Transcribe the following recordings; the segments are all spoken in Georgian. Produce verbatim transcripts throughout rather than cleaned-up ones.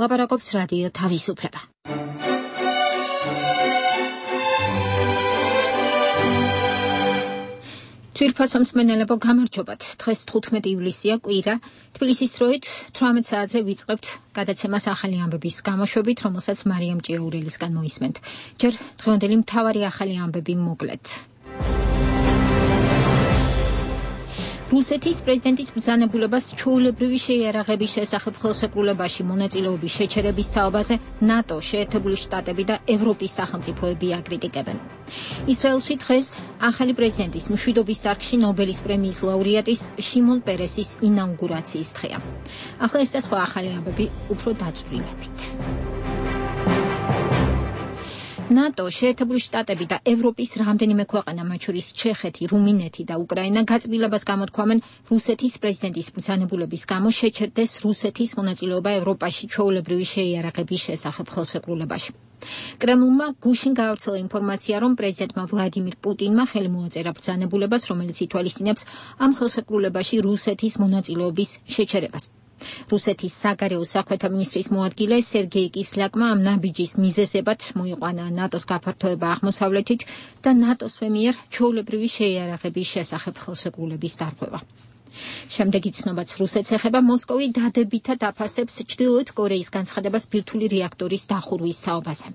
ლაპარაკობს რადიო თავისუფლება. თვირფასო მსმენელებო, გამარჯობათ. დღეს თხუთმეტი ივლისია, კვირა. თბილისის დროით თვრამეტ საათზე ვიწყებთ გადაცემას ახალი ამბების გამოშვებით, რომელსაც მარიამ ჭიაურელისგან მოისმენთ. ჯერ დღევანდელი მთავარი ახალი ამბები მოკლედ. რუსეთის პრეზიდენტის ბრძანებულებას ჩვეულებრივი შეიარაღების შესახებ ხელშეკრულებაში მონაწილეობის შეჩერების საუბაზე ნატო, შეერთებული შტატები და ევროპის სახელმწიფოები აკრიტიკებენ. ისრაელში დღეს ახალი პრეზიდენტის მშვიდობის დარგში ნობელის პრემიის ლაურეატის შიმონ პერესის ინაუგურაციის დღეა. ახლა ეს და სხვა ახალი ამბები უფრო დაწვრილებით. ნატო, შეერთებული შტატები და ევროპის რამდენიმე ქვეყანა, მათ შორის ჩეხეთი, რუმინეთი და უკრაინა, გაწმილებას გამოთქვამენ რუსეთის პრეზიდენტის ბრძანებულების გამო შეჩერდეს რუსეთის მონაწილეობა ევროპაში ჩვეულებრივი შეიარაღების შესახებ ხელშეკრულებაში. კრემლმა გუშინ გაავრცელა ინფორმაცია, რომ პრეზიდენტმა ვლადიმირ პუტინმა ხელი მოაწერა ბრძანებულებას, რომელიც ითვალისწინებს ამ ხელშეკრულებაში რუსეთის მონაწილეობის შეჩერებას. რუსეთის საგარეო საქმეთა მინისტრის მოადგილე სერგეი კისლაკმა ამ ნაბიჯის მიზეზებად მოიყვანა ნატოს გაფართოება აღმოსავლეთით და ნატოს მიერ ჩვეულებრივი შეიარაღების შესახებ ხელშეკრულების დარღვევა. შემდეგი ცნობაც რუსეთს ეხება. მოსკოვი დადებითად აფასებს ჩრდილოეთ კორეის განცხადებას ბირთვული რეაქტორის დახურვის საუბაზე.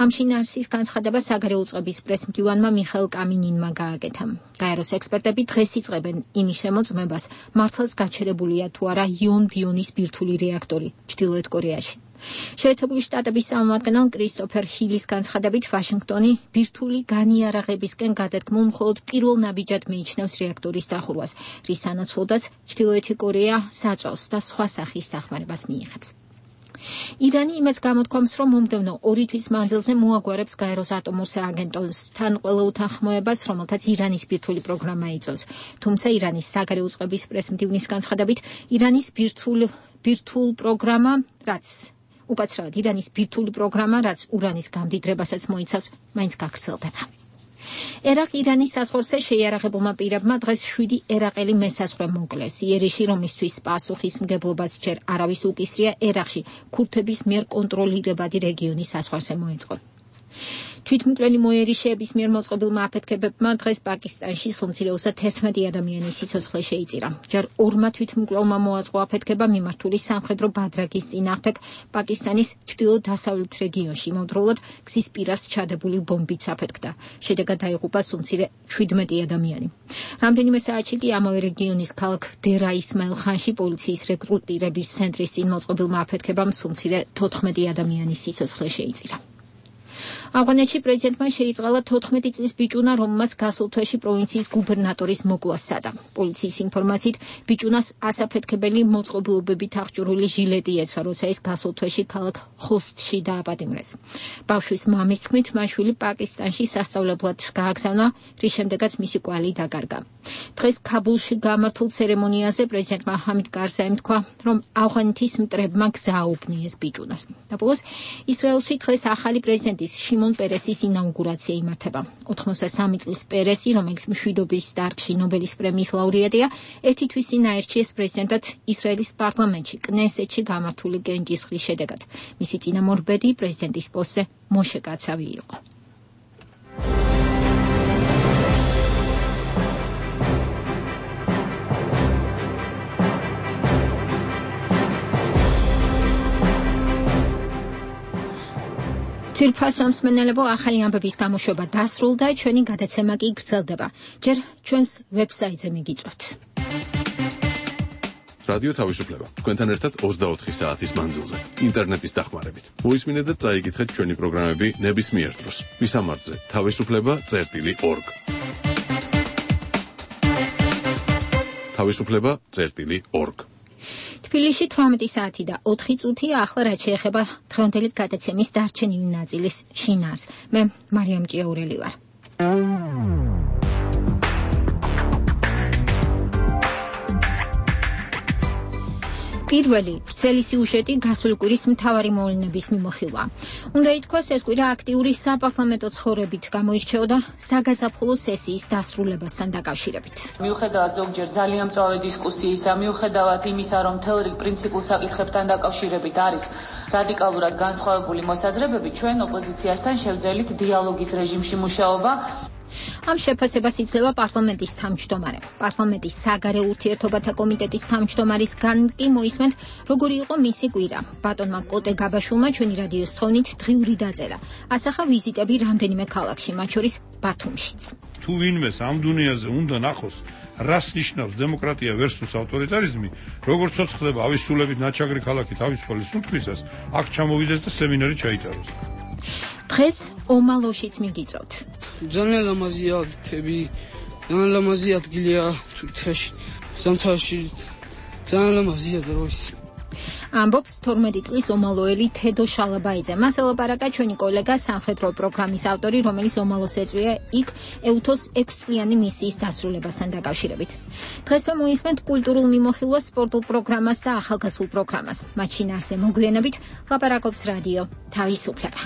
ამ შინაარსის განცხადება საგარეო წყების პრესმდივანმა მიხაილ კამინინმა გააკეთა. გაეროს ექსპერტები დღეს იწყებენ იმის შემოწმებას, მართლაც გაჩერებულია თუ არა იონ-ბიონის ბირთვული რეაქტორი ჩრდილოეთ კორეაში. შეერთებული შტატების წარმომადგენელ კრისტოფერ ჰილის განცხადებით, ვაშინგტონი ბირთვული განიარაღებისკენ გადადგმულ მხოლოდ პირველ ნაბიჯად მიიჩნევს რეაქტორის დახურვას, რის სანაცვლოდაც ჩრდილოეთი კორეა საწვავს და სხვა სახის დახმარებას მიიღებს. ირანი იმედს გამოთქვამს, რომ მომდევნო ორი თვის მანძილზე მოაგვარებს გაეროს ატომურ სააგენტოსთან ყველა უთანხმოებას, რომელთაც ირანის ბირთვული პროგრამა იწვევს. თუმცა ირანის საგარეო წყების პრესმდივნის განცხადებით, ირანის ბირთვულ ბირთვულ პროგრამა, რაც უკაცრავად ირანის ბირთვული პროგრამა, რაც ურანის გამდიდრებასაც მოიცავს, მაინც გაგრძელდება. ერაყ-ირანის საზღვარზე შეიარაღებულმა პირებმა დღეს შვიდი ერაყელი მესაზღვრე მოკლეს. იერიში, რომლისთვის პასუხისმგებლობაც ჯერ არავის უკისრია, ერაყში ქურთების მიერ კონტროლირებადი რეგიონის საზღვარზე მოეწყო. თვითმკვლელი მოერიშეების მიერ მოწყობილმა აფეთქებებმა დღეს პაკისტანში სულ-მცირეოსად თერთმეტი ადამიანის სიცოცხლე შეიწირა. ჯერ ორმა თვითმკვლელმა მოაწყო აფეთქება მიმართული სამხედრო ბადრაგის წინააღმდეგ პაკისტანის ჩრდილო-დასავლეთ რეგიონში. იმავდროულად გზის პირას ჩადებული ბომბიც აფეთქდა. შედეგად დაიღუპა სულ-მცირე შვიდმეტი ადამიანი. რამდენიმე საათში კი ამავე რეგიონის ქალაქ დერა ისმაილ ხანში პოლიციის რეკრუტირების ცენტრის წინ მოწყობილმა აფეთქებამ სულ-მცირე თოთხმეტი ადამიანის სიცოცხლე შეიწირა. ავღანეთში პრეზიდენტმა შეიწყალა თოთხმეტი წლის ბიჭუნა, რომელმაც გასულ თვეში პროვინციის გუბერნატორის მოკლა სცადა. პოლიციის ინფორმაციით, ბიჭუნას ასაფეთქებელი მოწყობილობებით აღჭურვილი ჟილეტი ეცვა, როცა ის გასულ თვეში ქალაქ ხოსტში დააპატიმრეს. ბავშვის მამის თქმით, მაშვილი პაკისტანში სასწავლებლად გააგზავნა, რის შემდეგაც მისი კვალი დაკარგა. დღეს ქაბულში გამართულ ცერემონიაზე პრეზიდენტმა ჰამიდ კარზაიმ თქვა, რომ ავღანეთის მტრებმა გზა აუგნიეს ბიჭუნას. და ბოლოს ისრაელში დღეს ახალი პრეზიდენტის შიმონ პერესის ინაუგურაცია იმართება. ოთხმოცდასამი წლის პერესი, რომელიც მშვიდობის დარგში ნობელის პრემიის ლაურეატია, ერთი თვის წინ აირჩიეს პრეზიდენტად ისრაელის პარლამენტში კნესეთში გამართული კენჭისყრის შედეგად. მისი წინამორბედი პრეზიდენტის პოსტზე მოშე კაცავი იყო. თვირფასო მსმენელებო, ახალი ამბების გამოშვება დასრულდა, ჩვენი გადაცემა კი გრძელდება. ჯერ ჩვენს ვებსაიტზე მიგიწვევთ. რადიო თავისუფლება. თქვენთან ერთად ოცდაოთხი საათის მანძილზე, ინტერნეტის დახმარებით. მოისმინეთ და წაიკითხეთ ჩვენი პროგრამები ნებისმიერ დროს. ვისამართზე თავისუფლება წერტილი ორგ. თავისუფლება წერტილი ორგ. თბილისში თვრამეტი საათი და ოთხი წუთი. ახლა რაც შეეხება დღევანდელი გადაცემის დარჩენილი ნაწილის შინაარს. მე მარიამ ჭიაურელი ვარ. პირველი ვრცელი სიუჟეტი გასული კვირის მთავარი მოვლენების მიმოხილვა. უნდა ითქვას, ეს კვირა აქტიური საპარლამენტო ცხოვრებით გამოირჩეოდა საგაზაფხულო სესიის დასრულებასთან დაკავშირებით. მიუხედავად ზოგჯერ ძალიან მწვავე დისკუსიისა, მიუხედავად იმისა, რომ მთელ რიგ პრინციპულ საკითხებთან დაკავშირებით არის რადიკალურად განსხვავებული მოსაზრებები, ჩვენ ოპოზიციასთან შევძელით დიალოგის რეჟიმში მუშაობა. ამ შეფასებას იძლევა პარლამენტის თავმჯდომარე. პარლამენტის საგარეო ურთიერთობათა კომიტეტის თავმჯდომარისგან კი მოისმენთ, როგორი იყო მისი კვირა. ბატონმა კოტე გაბაშულმა ჩვენი რადიოს თხოვნით დღიური დაწერა. ასახა ვიზიტები რამდენიმე ქალაქში, მათ შორის ბათუმშიც. თუ ვინმეს ამ დუნიაზე უნდა ნახოს, რას ნიშნავს დემოკრატია versus ავტორიტარიზმი, როგორც ცოცხლდება ავისულებით ნაჩაგრი ქალაქი თავისუფალი სუნთქვისას, აქ ჩამოვიდეს და სემინარი ჩაიტაროს. დღეს ომალოშიც მიგიწევთ. ძალიან ლამაზია თები, ძალიან ლამაზია ადგილია თვითაში, ზამთარში ძალიან ლამაზია და როის. ამბობს თორმეტი წლის ომალოელი თედო შალაბაიძე. მას ელაპარაკა ჩვენი კოლეგა სამხედრო პროგრამის ავტორი, რომელიც ომალოს ეწვია იქ ეუთოს ექვსწლიანი მისიის დასრულებასთან დაკავშირებით. დღესვე მოისმენთ კულტურულ მიმოხილვას, სპორტულ პროგრამას და ახალგაზრდულ პროგრამას. მათ შინაარსზე მოგვიანებით ლაპარაკობს რადიო თავისუფლება.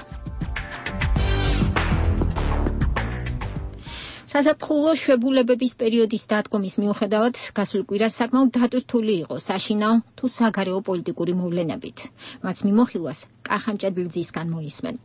საზაფხულო შვებულებების პერიოდის დადგომის მიუხედავად, გასულ კვირას საკმაოდ დატვირთული იყო საშინაო თუ საგარეო პოლიტიკური მოვლენებით. მათ მიმოხილვას კახამჭედლძისგან მოისმენთ.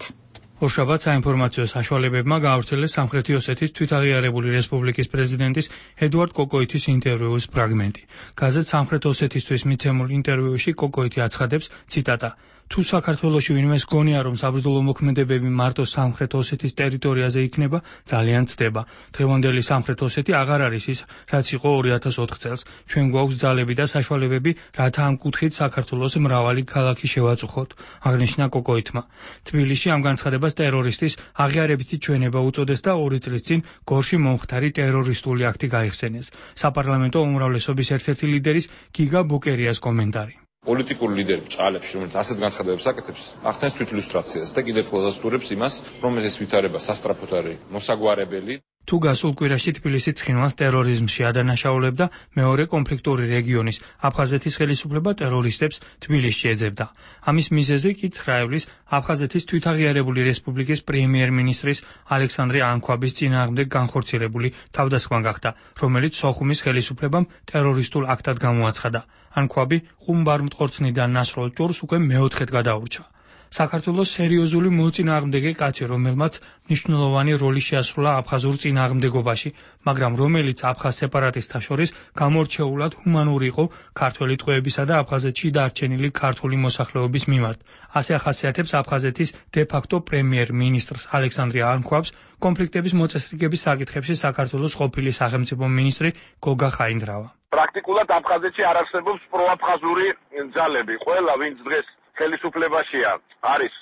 ორშაბათს საინფორმაციო საშუალებებმა გაავრცელეს სამხრეთი ოსეთის თვითაღიარებული რესპუბლიკის პრეზიდენტის ედუარდ კოკოითის ინტერვიუის ფრაგმენტი. გაზეთ სამხრეთ ოსეთისთვის მიცემულ ინტერვიუში კოკოითი აცხადებს, ციტატა: თუ საქართველოში ვინმეს გონია, რომ საბრძოლო მოქმედებები მარტო სამხრეთ ოსეთის ტერიტორიაზე იქნება, ძალიან ცდება. დღევანდელი სამხრეთ ოსეთი აღარ არის ის, რაც იყო ორი ათას ოთხ წელს. ჩვენ გვაქვს ძალები და საშუალებები, რათა ამ კუთხით საქართველოს მრავალი ქალაქი შევაწუხოთ, აღნიშნა კოკოითმა. თბილისში ამ განცხადებას ტერორისტის აღიარებითი ჩვენება უწოდეს და ორი წლის წინ გორში მომხდარი ტერორისტული აქტი გაიხსენეს. საპარლამენტო უმრავლესობის ერთ-ერთი ლიდერის გიგა ბუკერიას კომენტარი. პოლიტიკური ლიდერი ჭალებში, რომელიც ასეთ განცხადებებს აკეთებს, ახდენს თვითილუსტრაციას და კიდევ ყველაზე სტურებს იმას, რომ ეს ვითარება სასტრაფოდ არის მოსაგვარებელი. თუ გასულ კვირაში თბილისი ცხინვალს ტერორიზმში ადანაშაულებდა, მეორე კონფლიქტური რეგიონის აფხაზეთის ხელისუფლება ტერორისტებს თბილისში ეძებდა. ამის მიზეზი კი ცხრაევლის აფხაზეთის თვითაღიარებული რესპუბლიკის პრემიერ-მინისტრის ალექსანდრე ანქვაბის წინააღმდეგ განხორციელებული თავდასხმა გახდა, რომელიც სოხუმის ხელისუფლებამ ტერორისტულ აქტად გამოაცხადა. ანქვაბი ყუმბარმტყორცნიდან ნასროლ ჭორს უკვე მეოთხედ გადაურჩა. საქართველოს სერიოზული მოწინააღმდეგე კაცი, რომელმაც მნიშვნელოვანი როლი შეასრულა აფხაზურ წინააღმდეგობაში, მაგრამ რომელიც აფხაზ სეპარატისტთა შორის გამორჩეულად ჰუმანური იყო ქართველი ტყვეებისა და აფხაზეთში დარჩენილი ქართული მოსახლეობის მიმართ. ასე ახასიათებს აფხაზეთის დე-ფაქტო პრემიერ-მინისტრს ალექსანდრე ანქვაბს კონფლიქტების მოწესრიგების საკითხებში საქართველოს ყოფილი სახელმწიფო მინისტრი გოგა ხაინდრავა. პრაქტიკულად აფხაზეთში არ არსებობს პროაფხაზური ძალები. ყველა, ვინც დღეს ხელისუფლებაშია, არის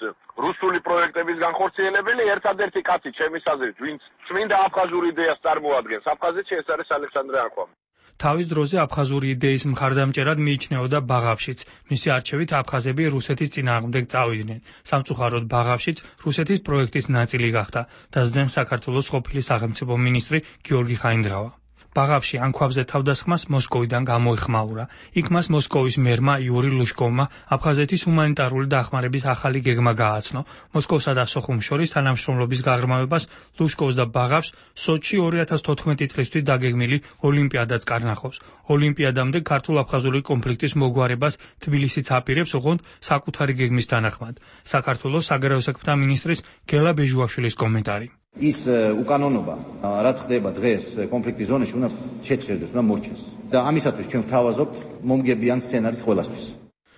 რუსული პროექტების განხორციელებელი, ერთადერთი კაცი ჩემის აზრით, ვინც წმინდა აფხაზური იდეას წარმოადგენს აფხაზეთში, ეს არის ალექსანდრე ანქვაბი. თავის დროზე აფხაზური იდეის მხარდამჭერად მიიჩნეოდა ბაღავშიც. მისი არჩევით აფხაზები რუსეთის წინააღმდეგ წავიდნენ. სამწუხაროდ ბაღავშიც რუსეთის პროექტის ნაწილი გახდა, დასძენ საქართველოს ყოფილი სახელმწიფო მინისტრი გიორგი ხაინდრავა. ბაღავში ანქვაბზე თავდასხმას მოსკოვიდან გამოეხმაურა. იქ მას მოსკოვის მერმა იური ლუშკოვმა აფხაზეთის ჰუმანიტარული დახმარების ახალი გეგმა გააცნო. მოსკოვსა და სოხუმს შორის თანამშრომლობის გაღრმავებას ლუშკოვს და ბაღავს სოჩში ორი ათას თოთხმეტი წლისთვის დაგეგმილი ოლიმპიადაც კარნახობს. ოლიმპიადამდე ქართულ-აფხაზური კონფლიქტის მოგვარებას თბილისიც აპირებს, ოღონდ საკუთარი გეგმის თანახმად. საქართველოს საგარეო საქმეთა მინისტრის გელა ბეჟუაშვილის კომენტარი. ის უკანონობა, რაც ხდება დღეს კონფლიქტის ზონაში, უნდა შეჭრილდეს, უნდა მორჩეს. და ამისათვის ჩვენ ვთავაზობთ მომგებიან სცენარის ყველასთვის.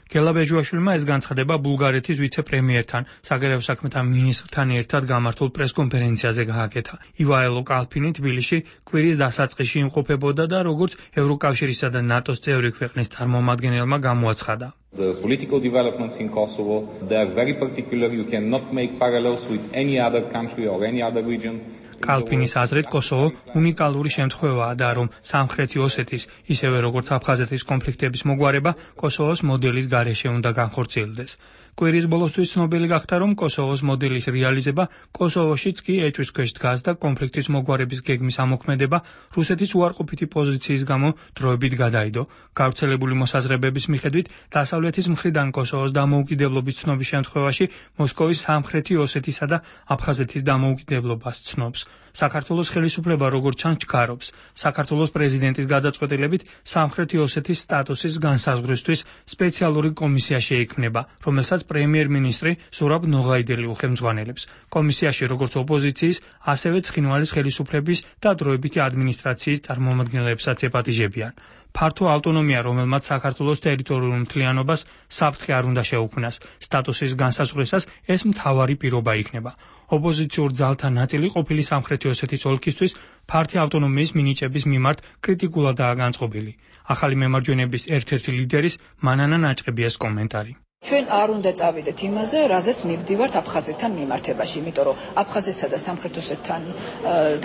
გელა ბეჟუაშვილმა ეს განცხადება ბულგარეთის ვიცე-პრემიერთან, საგარეო საქმეთა მინისტრთან ერთად გამართულ პრესკონფერენციაზე გააკეთა. ივაილო კალფინი თბილისში კვირის დასაწყისში იმყოფებოდა და როგორც ევროკავშირისა და ნატოს წევრი ქვეყნის წარმომადგენელმა გამოაცხადა. The political developments in Kosovo, they are very particular. You cannot make parallels with any other country or any other region. კალფინის აზრით კოსოვო უნიკალური შემთხვევაა და რომ სამხრეთი ოსეთის, ისევე როგორც აფხაზეთის კონფლიქტების მოგვარება კოსოვოს მოდელის გარეშე უნდა განხორციელდეს. კვირის ბოლოსთვის ცნობილი გახდა, რომ კოსოვოს მოდელის რეალიზება კოსოვოშიც კი ეჭვის ქვეშ დგას და კონფლიქტის მოგვარების გეგმის ამოქმედება რუსეთის უარყოფითი პოზიციის გამო დროებით გადაიდო. გავრცელებული მოსაზრებების მიხედვით, დასავლეთის მხრიდან კოსოვოს დამოუკიდებლობის ცნობის შემთხვევაში მოსკოვის სამხრეთი ოსეთისა და აფხაზეთის დამოუკიდებლობას ცნობს. საქართველოს ხელისუფლება როგორც ჩანს ჩქარობს. საქართველოს პრეზიდენტის გადაწყვეტილებით სამხრეთი ოსეთის სტატუსის განსაზღვრისთვის სპეციალური კომისია შეიქმნება, რომელსაც პრემიერ-მინისტრი ზურაბ ნოღაიდელი უხელმძღვანელებს. კომისიაში როგორც ოპოზიციის, ასევე ცხინვალის ხელისუფლების და დროებითი ადმინისტრაციის წარმომადგენლებსაც ეპატიჟებიან. ფართო ავტონომია, რომელმაც საქართველოს ტერიტორიულ მთლიანობას საფრთხე არ უნდა შეუქმნას, სტატუსის განსაზღვრისას ეს მთავარი პირობა იქნება. ოპოზიციურ ძალთა ნაწილი ყოფილი სამხრეთი ოსეთის ოლქისთვის ფართი ავტონომიის მინიჭების მიმართ კრიტიკულადაა განწყობილი. ახალი მემარჯვენების ერთ-ერთი ლიდერის მანანა ნაჭყებიას კომენტარი. ჩვენ არ უნდა წავიდეთ იმაზე, რაზეც მივდივართ აფხაზეთთან მიმართებაში, იმიტომ რომ აფხაზეთსა და სამხრეთ ოსეთთან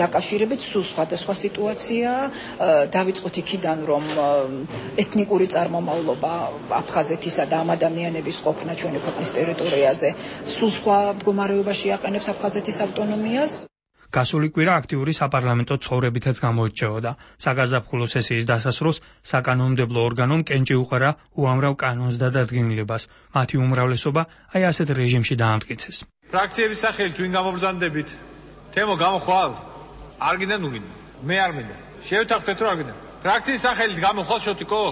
დაკავშირებით სულ სხვადასხვა სიტუაციაა. დავიწყოთ იქიდან, რომ ეთნიკური წარმომავლობა აფხაზეთისა და ამ ადამიანების ყოფნა ჩვენი ქვეყნის ტერიტორიაზე სულ სხვა მდგომარეობაში აყენებს აფხაზეთის ავტონომიას. გასული კვირა აქტიური საპარლამენტო ცხოვრებითაც გამოირჩეოდა. საგაზაფხულო სესიის დასასრულს საკანონმდებლო ორგანომ კენჭი უყარა უამრავ კანონს და დადგენილებას. მათი უმრავლესობა აი ასეთ რეჟიმში დაამტკიცეს. ფრაქციების სახელით ვინ გამობრძანდებით? თემო გამოხვალ? არ გინდა ნუ გინდა. მე არ მინდა. შევთანხმდეთ რომ არ გინდა. ფრაქციის სახელით გამოხვალ შოტიკო?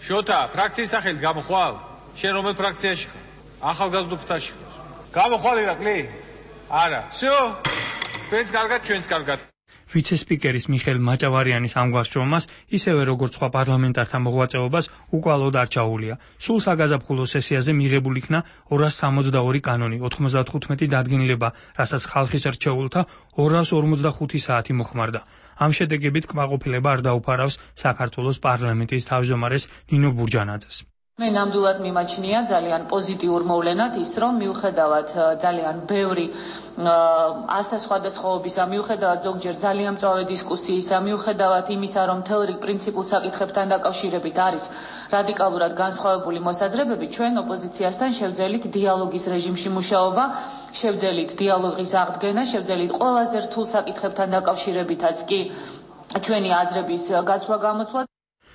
შოთა, ფრაქციის სახელით გამოხვალ? შენ რომელ ფრაქციაში ხარ? ახალგაზრდობთაში ხარ? გამოხვალ ირაკლი? არა. всё ჩვენს კარგად, ჩვენს კარგად. ვიცე-სპიკერის მიხეილ მაჭავარიანის ამ გვასწრომას, ისევე როგორც სხვა პარლამენტართა მოღვაწეობას უკვალოდ არ ჩაუვლია. სულ საგაზაფხულო სესიაზე მიღებულ იქნა ორას სამოცდაორი კანონი, ოთხმოცდათხუთმეტი დადგენილება, რასაც ხალხის რჩეულთა ორას ორმოცდახუთი საათი მოხმარდა. ამ შედეგებით კმაყოფილება არ დაუფარავს საქართველოს პარლამენტის თავმჯდომარეს ნინო ბურჯანაძეს. მე ნამდვილად მიმაჩნია ძალიან პოზიტიურ მოვლენად ის, რომ მიუხედავად ძალიან ბევრი ასთა სხვადასხვაობისა, მიუხედავად ზოგჯერ ძალიან მწვავე დისკუსიისა, მიუხედავად იმისა, რომ მთელ რიგ პრინციპულ საკითხებთან დაკავშირებით არის რადიკალურად განსხვავებული მოსაზრებები, ჩვენ ოპოზიციასთან შევძელით დიალოგის რეჟიმში მუშაობა, შევძელით დიალოგის აღდგენა, შევძელით ყველაზე რთულ საკითხებთან დაკავშირებითაც კი ჩვენი აზრების გაცვლა-გამოცვლა.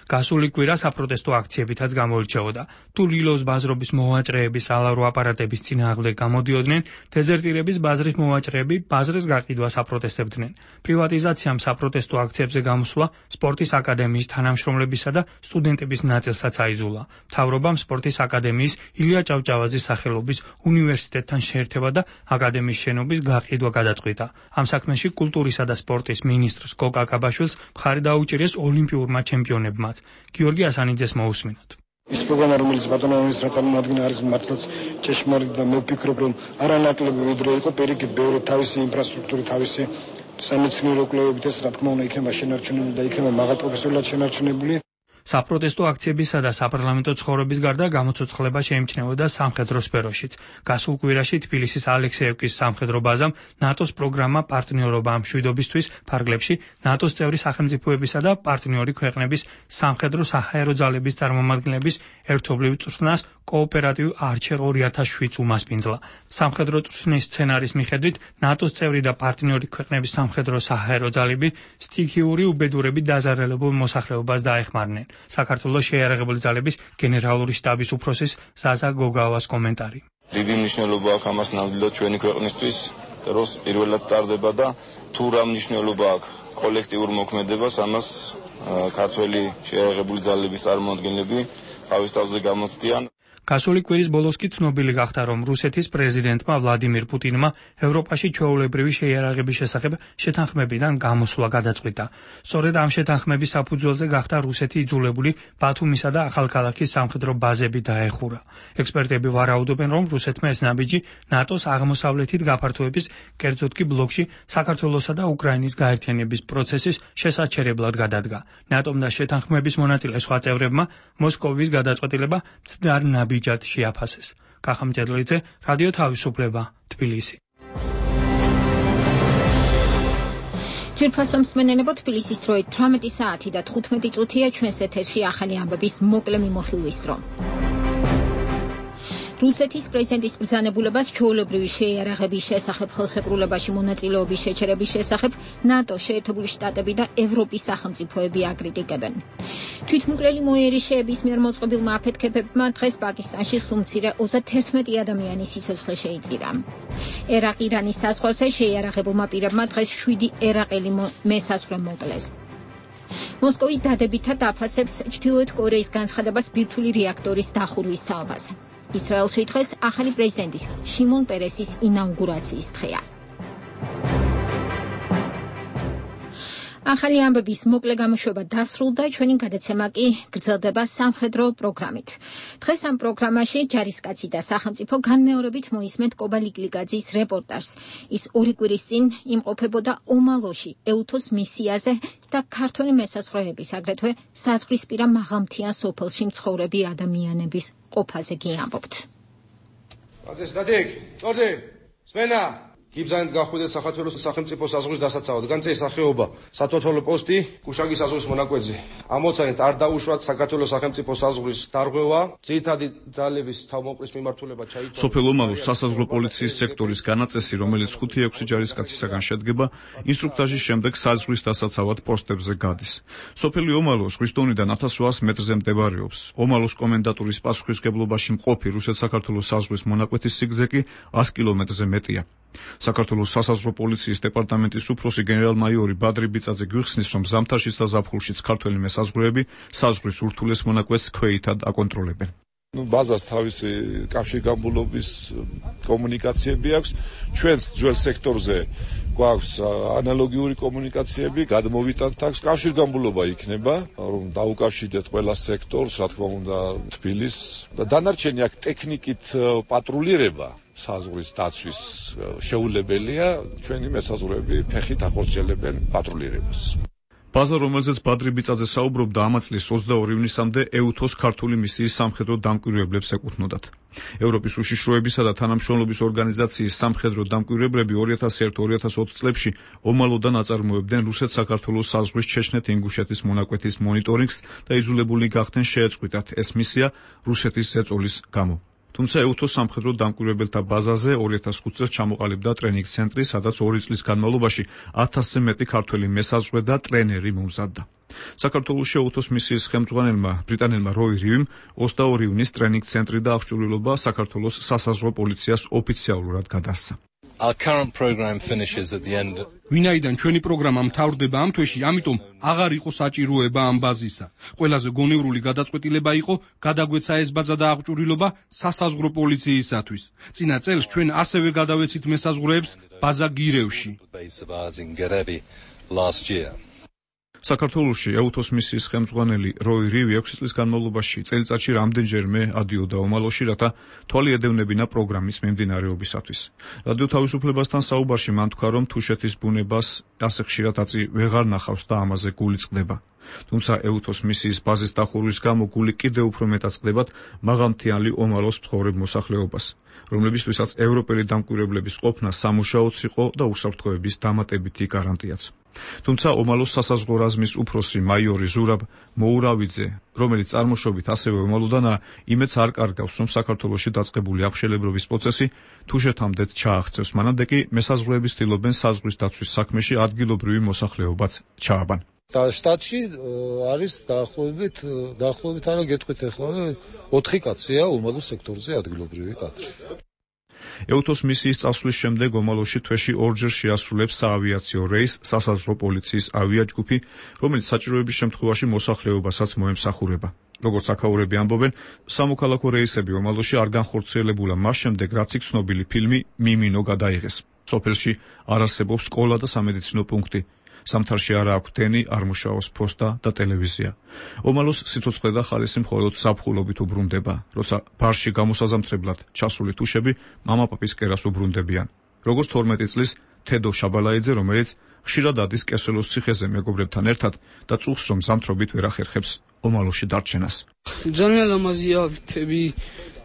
გასული კვირა საპროტესტო აქციებითაც გამოირჩეოდა. თუ ლილოს ბაზრობის მოვაჭრეების ალავრო აპარატების წინააღმდეგ გამოდიოდნენ, დეზერტირების ბაზრის მოვაჭრეები ბაზრის გაყიდვას აპროტესტებდნენ. პრივატიზაციამ საპროტესტო აქციებზე გამოსვლა სპორტის აკადემიის თანამშრომლებისა და სტუდენტების ნაწილსაც აიძულა. მთავრობამ სპორტის აკადემიის ილია ჭავჭავაძის სახელობის უნივერსიტეტთან შეერთება და აკადემიის შენობის გაყიდვა გადაწყვიტა. ამ საქმეში კულტურისა და სპორტის მინისტრს კოკა კაბაშვილს მხარი დაუჭირეს ოლიმპიურმა ჩემპიონებმა. გიორგი ასანიძეს მოусმინოთ. ის პროგრამა, რომელიც ბატონო მინისტრად წარმოადგინა, არის მართლაც ჭეშმარიტი და მე ვფიქრობ, რომ არანაკლები ვიდრე იყო პირიქით ბევრი თავისი ინფრასტრუქტურა, თავისი სამეცნიერო კვლევებით ეს რა თქმა უნდა იქნება შენარჩუნებული და იქნება მაღალპროფესიონალად შენარჩუნებული. საპროტესტო აქციებისა და საპარლამენტო ცხოვრების გარდა გამოცოცხლება შეიმჩნეოდა სამხედრო სფეროშიც. გასულ კვირაში თბილისის ალექსეევკის სამხედრო ბაზამ ნატოს პროგრამა პარტნიორობა ამ მშვიდობისთვის ფარგლებში ნატოს წევრი სახელმწიფოებისა და პარტნიორი ქვეყნების სამხედრო საჰაერო ძალების წარმომადგენლების ერთობლივ წვრთნას კოოპერატივ არჩერ ორი ათას შვიდს უმასპინძლა. სამხედრო წვრთნის სცენარის მიხედვით ნატოს წევრი და პარტნიორი ქვეყნების სამხედრო საჰაერო ძალები სტიქიური უბედურებით დაზარალებულ მოსახლეობას დაეხმარნენ. საქართველოს შეიარაღებული ძალების გენერალური შტაბის უფროსის ზაზა გოგავას კომენტარი. დიდი მნიშვნელობა აქვს ამას ნამდვილად ჩვენი ქვეყნისთვის, დროს პირველად ტარდება და თუ რა მნიშვნელობა აქვს კოლექტიურ მოქმედებას, ამას ქართველი შეიარაღებული ძალების წარმომადგენლები თავის თავზე გამოცდიან. გასული კვირის ბოლოს კი ცნობილი გახდა, რომ რუსეთის პრეზიდენტმა ვლადიმირ პუტინმა ევროპაში ჩვეულებრივი შეიარაღების შესახებ შეთანხმებიდან გამოსვლა გადაწყვიტა. სწორედ ამ შეთანხმების საფუძველზე გახდა რუსეთი იძულებული ბათუმისა და ახალქალაქის სამხედრო ბაზები დაეხურა. ექსპერტები ვარაუდობენ, რომ რუსეთმა ეს ნაბიჯი ნატოს აღმოსავლეთით გაფართოების, კერძოდ კი ბლოკში საქართველოსა და უკრაინის გაერთიანების პროცესის შესაჩერებლად გადადგა. ნატომ და შეთანხმების მონაწილე სხვა წევრებმა მოსკოვის გადაწყვეტილება მცდარ ნაბიჯად შეაფასეს. კახამჭედლიძე, რადიო თავისუფლება, თბილისი. ძვირფასო მსმენელებო, თბილისის დროით თვრამეტი საათი და თხუთმეტი წუთია, ჩვენს ეთერში ახალი ამბების მოკლე მიმოხილვის დრო. რუსეთის პრეზიდენტის ბრძანებულებას ჩვეულებრივი შეიარაღების შესახებ ხელშეკრულებაში მონაწილეობის შეჩერების შესახებ ნატო, შეერთებული შტატები და ევროპის სახელმწიფოები აკრიტიკებენ. თვითმკვლელი მოიერიშეების მიერ მოწყობილმა აფეთქებებმა დღეს პაკისტანში სულ-მცირე ოცდაერთმეტი ადამიანის სიცოცხლე შეიწირა. ერაყ-ირანის საზღვარზე შეიარაღებულმა პირებმა დღეს შვიდი ერაყელი მესაზღვრე მოკლეს. მოსკოვი დადებითად აფასებს ჩრდილოეთ კორეის განცხადებას ბირთვული რეაქტორის დახურვის საუბარზე. ისრაელში დღეს ახალი პრეზიდენტის შიმონ პერესის ინაუგურაციის დღეა. ახალი ამბების მოკლე გამოშვება დასრულდა, ჩვენი გადაცემა კი გრძელდება სამხედრო პროგრამით. დღეს ამ პროგრამაში ჯარისკაცი და სახელმწიფო განმეორებით მოისმენთ კობა ლიკლიკაძის რეპორტაჟს. ის ორი კვირის წინ იმყოფებოდა ომალოში, ეუთოს მისიაზე და ქართველი მესაზღვრეების, აგრეთვე საზღვრისპირა მაღალმთიან სოფელში მცხოვრები ადამიანების ყოფაზე კი ამბობთ. ბაძეს დადიკ, წორდი, სმენა გიბზანეთ გახვიდეთ საქართველოს სახელმწიფო საზღვრის დასაცავად. განცე სახეობა სათვალთვალო პოსტი გუშაგის საზღვრის მონაკვეთზე. ამოცანით არ დაუშვათ საქართველოს სახელმწიფო საზღვრის დარღვევა, ძირითადი ძალების თავმოყრის მიმართულება ჩაითვალა. სოფელ ომალოს სასაზღვრო პოლიციის სექტორის განაწესი, რომელიც ხუთი ექვსი ჯარისკაცისაგან შედგება, ინსტრუქტაჟის შემდეგ საზღვრის დასაცავად პოსტებზე გადის. სოფელი ომალო ზღვის დონიდან ათას ოთხასი მეტრზე მდებარეობს. ომალოს კომენდატურის პასუხისმგებლობაში მყოფი რუსეთ-საქართველოს საზღვრის მონაკვეთის სიგრძე კი ას კილომეტრზე მეტია. საქართველოს სასაზღვრო პოლიციის დეპარტამენტის უფროსი გენერალ-მაიორი ბადრი ბიწაძე გვიხსნის, რომ ზამთარშიც და ზაფხულშიც ქართველი მესაზღვრეები საზღვრის ურთულეს მონაკვეთს ქვეითად აკონტროლებენ. ნუ ბაზას თავისი კავშირგაბმულობის კომუნიკაციები აქვს. ჩვენს ძველ სექტორზე გვაქვს ანალოგიური კომუნიკაციები, გადმოვიტანთ აქვს კავშირგაბმულობა იქნება, რომ დაუკავშირდეთ ყველა სექტორს, რა თქმა უნდა, თბილისს და დანარჩენი აქ ტექნიკით პატრულირება საზღვრის დაცვის შეუძლებელია, ჩვენი მესაზღვრეები ფეხით ახორციელებენ პატრულირებას. ბაზა, რომელზეც ბადრი ბიწაძე საუბრობდა, ამ წლის ოცდაორი ივნისამდე ეუთოს ქართული მისიის სამხედრო დამკვირვებლებს ეკუთვნოდათ. ევროპის უშიშროებისა და თანამშრომლობის ორგანიზაციის სამხედრო დამკვირვებლები ორი ათას ერთ ორი ათას ოთხ წლებში ომალოდან აწარმოებდნენ რუსეთ-საქართველოს საზღვრის ჩეჩნეთ-ინგუშეთის მონაკვეთის მონიტორინგს და იძულებული გახდნენ შეეწყვიტათ ეს მისია რუსეთის ზეწოლის გამო. თუმცა ეუთოს სამხედრო დამკვირვებელთა ბაზაზე ორი ათას ხუთ წელს ჩამოყალიბდა ტრენინგ ცენტრი, სადაც ორი წლის განმავლობაში ათასზე მეტი ქართველი მესაზღვრე და ტრენერი მომზადდა. საქართველოს ეუთოს მისიის ხელმძღვანელმა ბრიტანელმა როი რივიმ ოცდაორი ივნის ტრენინგ ცენტრი და აღჭურვილობა საქართველოს სასაზღვრო პოლიციას ოფიციალურად გადასცა. Our current program finishes at the end. ვინაიდან ჩვენი პროგრამა მთავრდება ამ თვეში, ამიტომ აღარ იყო საჭიროება ამ ბაზისა. ყველაზე გონევრული გადაწყვეტილება იყო გადაგვეცა ეს ბაზა და აღჭურვილობა სასაზღვრო პოლიციისათვის. წინა წელს ჩვენ ასევე გადავეცით მესაზღვრეებს ბაზა გირევში. საქართველოში ეუთოს მისიის ხელმძღვანელი როი რივი ექვსი წლის განმავლობაში წელიწადში რამდენჯერმე ადიოდა ომალოში, რათა თვალი ედევნებინა პროგრამის მიმდინარეობისათვის. რადიო თავისუფლებასთან საუბარში მან თქვა, რომ თუშეთის ბუნებას ასე ხშირად აწი ვეღარ ნახავს და ამაზე გული წყდება. თუმცა ეუთოს მისიის ბაზის დახურვის გამო გული კიდევ უფრო მეტად წყდებათ მაღალმთიანი ომალოს მცხოვრებ მოსახლეობას, რომლებისთვისაც ევროპელი დამკვირვებლების ყოფნა სამუშაოც იყო და უსაფრთხოების დამატებითი გარანტიაც. თუმცა ომალოს სასაზღვრო რაზმის უფროსი მაიორი ზურაბ მოურავიძე, რომელიც წარმოშობით ასევე ომალოდანაა, იმედს არ კარგავს, რომ საქართველოში დაწყებული აღშელებრობის პროცესი თუშეთამდეც ჩააღწევს. მანამდე კი მესაზღვრეები ცდილობენ საზღვრის დაცვის საქმეში ადგილობრივი მოსახლეობაც ჩააბან. და შტატში არის დაახლოებით დაახლოებით არა გეტყვით ახლა ოთხი კაცია ომალოს სექტორზე ადგილობრივი კადრი. ეუთოს მისიის წასვლის შემდეგ ომალოში თვეში ორჯერ შეასრულებს საავიაციო რეისს სასაზღვრო პოლიციის ავიაჯგუფი, რომელიც საჭიროების შემთხვევაში მოსახლეობასაც მოემსახურება. როგორც აქაურები ამბობენ, სამოქალაქო რეისები ომალოში არ განხორციელებულა მას შემდეგ, რაც იქ ცნობილი ფილმი მიმინო გადაიღეს. სოფელში არ არსებობს სკოლა და სამედიცინო პუნქტი. სამთარში არა აქვს დენი, არ მუშაობს ფოსტა და ტელევიზია. ომალოს სიცოცხლე და ხალისი მხოლოდ ზაფხულობით უბრუნდება, როცა ბარში გამოსაზამთრებლად ჩასული თუშები მამაპაპის კერას უბრუნდებიან. როგორც თორმეტი წლის თედო შაბალაიძე, რომელიც ხშირად ადის კესელოს ციხეზე მეგობრებთან ერთად და წუხს, რომ ზამთრობით ვერ ახერხებს ომალოში დარჩენას. ძალიან ლამაზია თები,